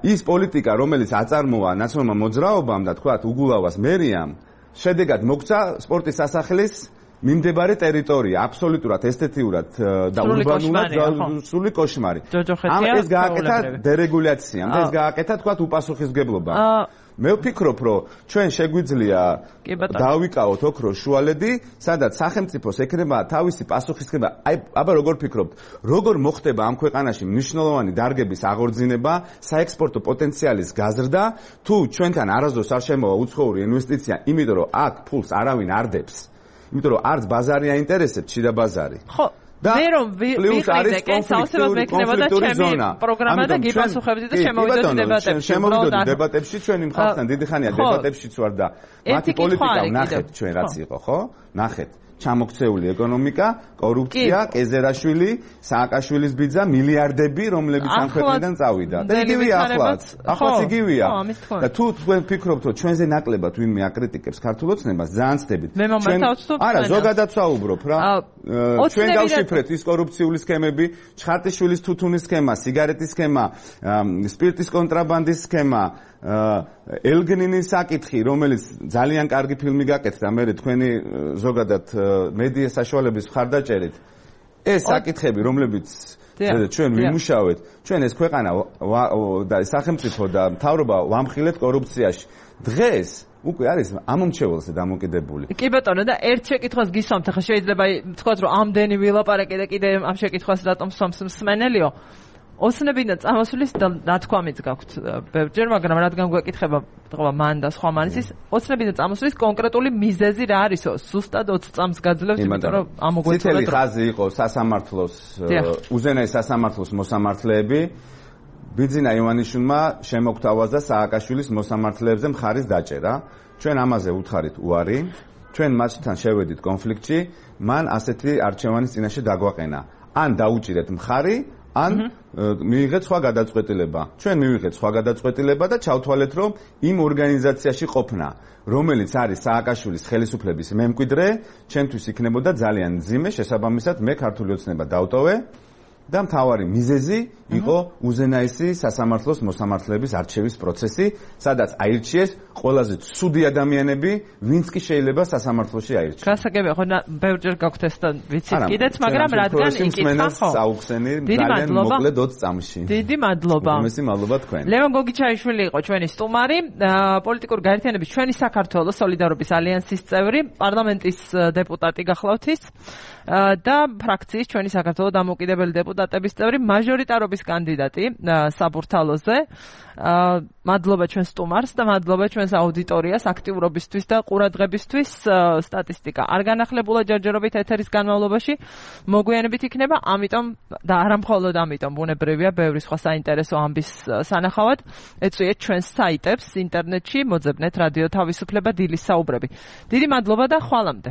ის პოლიტიკა, რომელიც აწარმოა ნაციონალურმა მოძრაობამ და თქვა უგულავას მერიამ, შედეგად მოგცა სპორტის სასახლის მიმდებარე ტერიტორია, აბსოლუტურად ესთეტიურად და ურბანულად სრული კოშმარი. ეს გააკეთა დერეგულაციამ და ეს გააკეთა თქვა უპასუხისმგებლობა. მე ვფიქრობ, რომ ჩვენ შეგვიძლია დავიკავოთ ოქროს შუალედი, სადაც სახელმწიფოს ექნება თავისი პასუხისმგებლობა. აბა როგორ ფიქრობთ, როგორ მოხდება ამ ქვეყანაში მნიშვნელოვანი დარგების აღორძინება, საექსპორტო პოტენციალის გაზრდა, თუ ჩვენთან არასდროს არ შემოვა უცხოური ინვესტიცია, იმიტომ რომ აქ ფულს არავინ არ დებს. იმიტომ რომ არც ბაზარი აინტერესებს, შიდა ბაზარი. ხო მე რომ ვიყიდე კენსაოსებად მექნება და ჩემი პროგრამა და გიპასუხებდი და შემოვიდოდი დებატებში ჩვენი მხართან დიდი ხანია დებატებშიც ვარ და მათი პოლიტიკა ნახეთ ჩვენ რაც იყო ხო ნახეთ ჩამოქცეული ეკონომიკა, კორუფცია, კეზერაშვილი, სააკაშვილის ბიძა, მილიარდები, რომლებიც ამ ქვეყნიდან წავიდა. და იგივეა ახლაც იგივეა. და თუ თქვენ ფიქრობთ, რომ ჩვენზე ნაკლებად ვინმე აკრიტიკებს ქართულ ოცნებას, ძალიან ცდებით. არა, ზოგადად ვსაუბრობ რა. ჩვენ გავშიფრეთ ის კორუფციული სქემები, ჩხარტიშვილის თუთუნის სქემა, სიგარეტის სქემა, სპირტის კონტრაბანდის სქემა, ელგნინის საკითხი, რომელიც ძალიან კარგი ფილმი გაკეთდა, მე თქვენი ზოგადად მედია საშუალების მხარდაჭერით. ეს საკითხები, რომლებიც ჩვენ ვიმუშავეთ, ჩვენ ეს ქვეყანა და სახელმწიფო და მთავრობა ვამხილეთ კორუფციაში. დღეს უკვე არის ამომრჩეველზე დამოკიდებული. კი ბატონო და ერთ შეკითხვას გისვამთ, ახლა შეიძლება თქვათ, რომ ამდენი ვილაპარაკე და კიდე ამ შეკითხვას რატომ სვამს მსმენელიო? ოცნებიდან წამოსulis ნათქვამიც გაქვთ ბევრჯერ, მაგრამ რადგან გვეკითხება თქვა მან და სხვა მანისის, ოცნებიდან წამოსulis კონკრეტული მიზეზი რა არისო? ზუსტად 20 წამს გაძლევთ, იმიტომ რომ ამოგვეწოდეთ. წითელი ხაზი იყო სასამართლოს, უზენაეს სასამართლოს მოსამართლეები. ბიძინა ივანიშვილმა შემოგთავაზა სააკაშვილის მოსამართლეებზე მხარის დაჭერა. ჩვენ ამაზე უთხარით უარი. ჩვენ მათთან შევედით კონფლიქტში, მან ასეთი არჩევანის წინაშე დაგვაყენა. ან დაუჭირეთ მხარი, ან მიიღეთ სხვა გადაწყვეტილება. ჩვენ მივიღეთ სხვა გადაწყვეტილება და ჩავთვალეთ, რომ იმ ორგანიზაციაში ყოფნა, რომელიც არის სააკაშვილის ხელისუფლების მემკვიდრე, ჩემთვის იქნებოდა ძალიან მძიმე, შესაბამისად მე ქართული ოცნება დავტოვე და მთავარი მიზეზი იყო უზენაესი სასამართლოს მოსამართლეების არჩევის პროცესი, სადაც აირჩიეს ყველაზე ცუდი ადამიანები, ვინც კი შეიძლება სასამართლოში აირჩიოს. გასაგებია, ხო, ბევრჯერ გაქვთ ეს და ვიცით კიდეც, მაგრამ რადგან იკითხა ხო? საუხსენი ძალიან მოკლედ 20 წამში. დიდი მადლობა. უმეტესი მადლობა თქვენ. ლევან გოგიჩაიშვილი იყო ჩვენი სტუმარი, პოლიტიკური გაერთიანების ჩვენი საქართველოს სოლიდარობის ალიანსის წევრი, პარლამენტის დეპუტატი გახლავთ ის და ფრაქციის ჩვენი საქართველოს დამოუკიდებელი დეპუტატების წევრი, მაჟორიტარობის კანდიდატი საბურთალოზე. მადლობა ჩვენ სტუმარს და მადლობა ჩვენს აუდიტორიას აქტიურობისთვის და ყურადღებისთვის. სტატისტიკა არ განახლებულა ჯერჯერობით ეთერის განმავლობაში მოგვიანებით იქნება, ამიტომ და არა მხოლოდ ამიტომ ბუნებრივია ბევრი სხვა საინტერესო ამბის სანახავად ეწვიეთ ჩვენს საიტებს ინტერნეტში, მოძებნეთ რადიო თავისუფლება დილის საუბრები. დიდი მადლობა და ხვალამდე.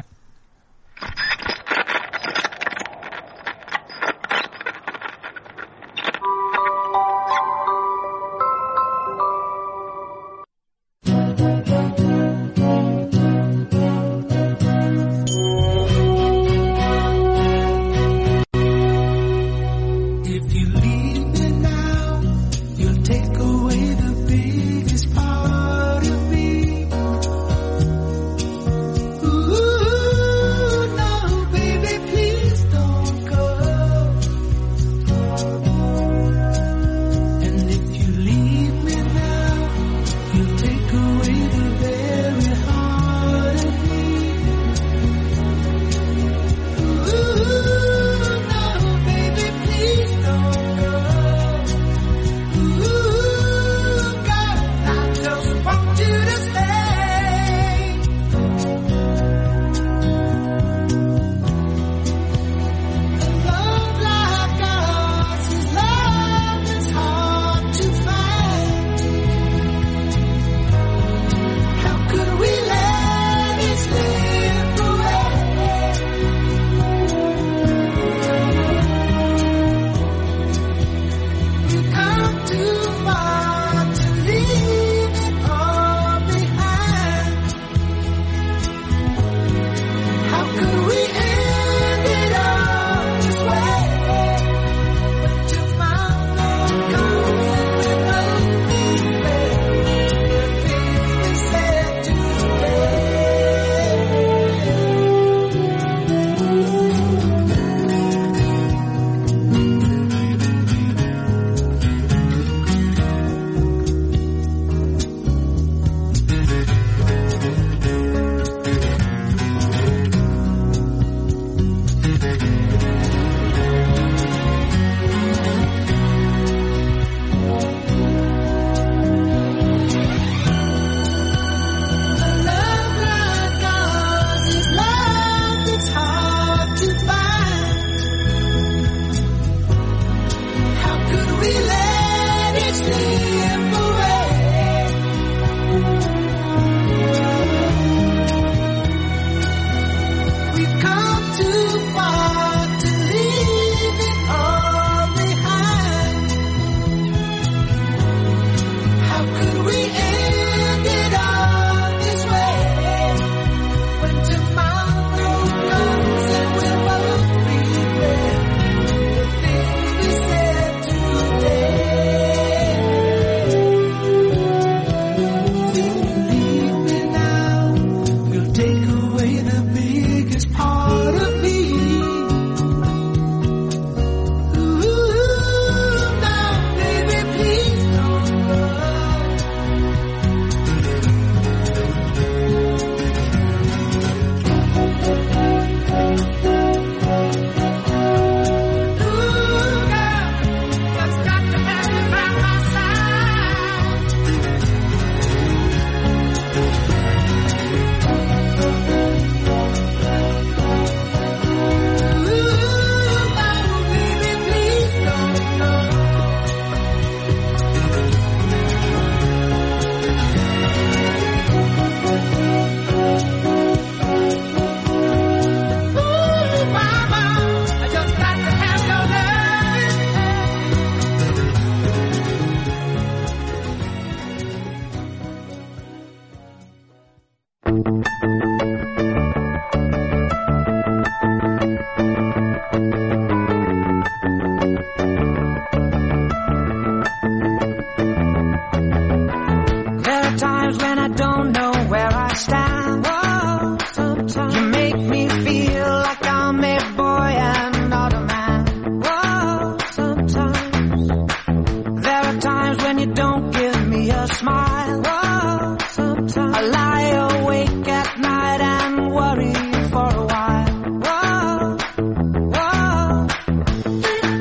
I don't know where I stand. Whoa, sometimes you make me feel like I'm a boy and not a man. Whoa, sometimes there are times when you don't give me a smile. Whoa, sometimes I lie awake at night and worry for a while. Whoa, whoa,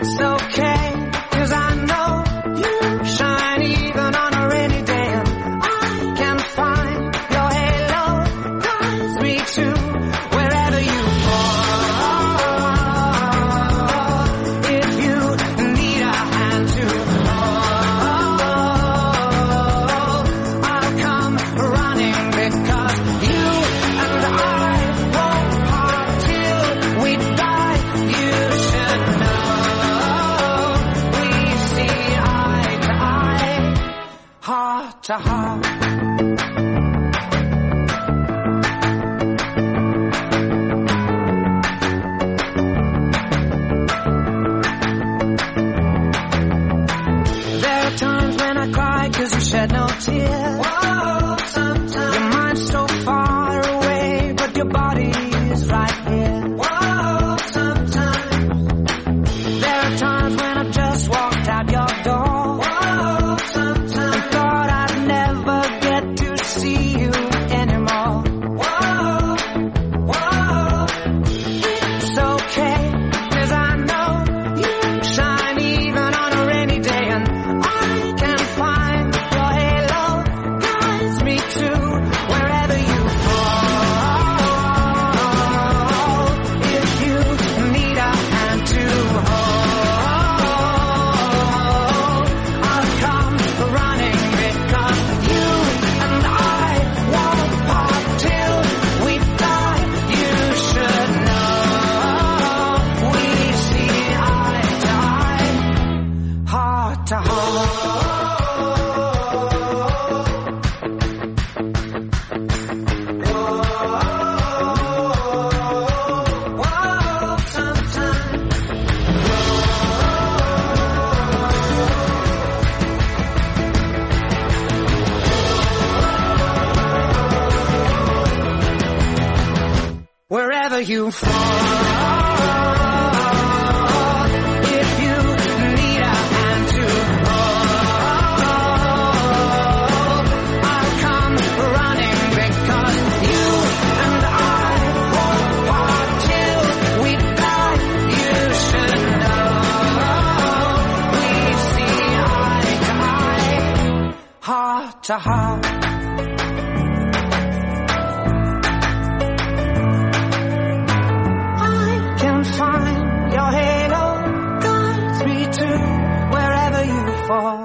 it's okay, 'cause I know you shine even on a rainy day, and I can find your halo guides me to wherever you fall. If you need a hand to hold, I'll come running, because you and I won't part till we die. You should know we see eye to eye, heart to heart. There are times when I cry 'cause you shed no tears. Whoa, sometimes your mind's so far away, but your body is right here. Whoa, sometimes there are times when I've just walked out your door. Whoa, sometimes I thought I'd never get to see you anymore. Whoa, whoa, it's okay, 'cause I know you shine even on a rainy day, and I can find your halo guides me to wherever you fall. If you need a hand to hold, I'll come running, because you and I won't part till we die. You should know we see eye to eye, heart to heart. Whoa, sometimes wherever you fall, if you need a hand to hold, I'll come running, because you and I won't part till we die. You should know we see eye to eye, heart to heart. I can find your halo guides me to wherever you fall.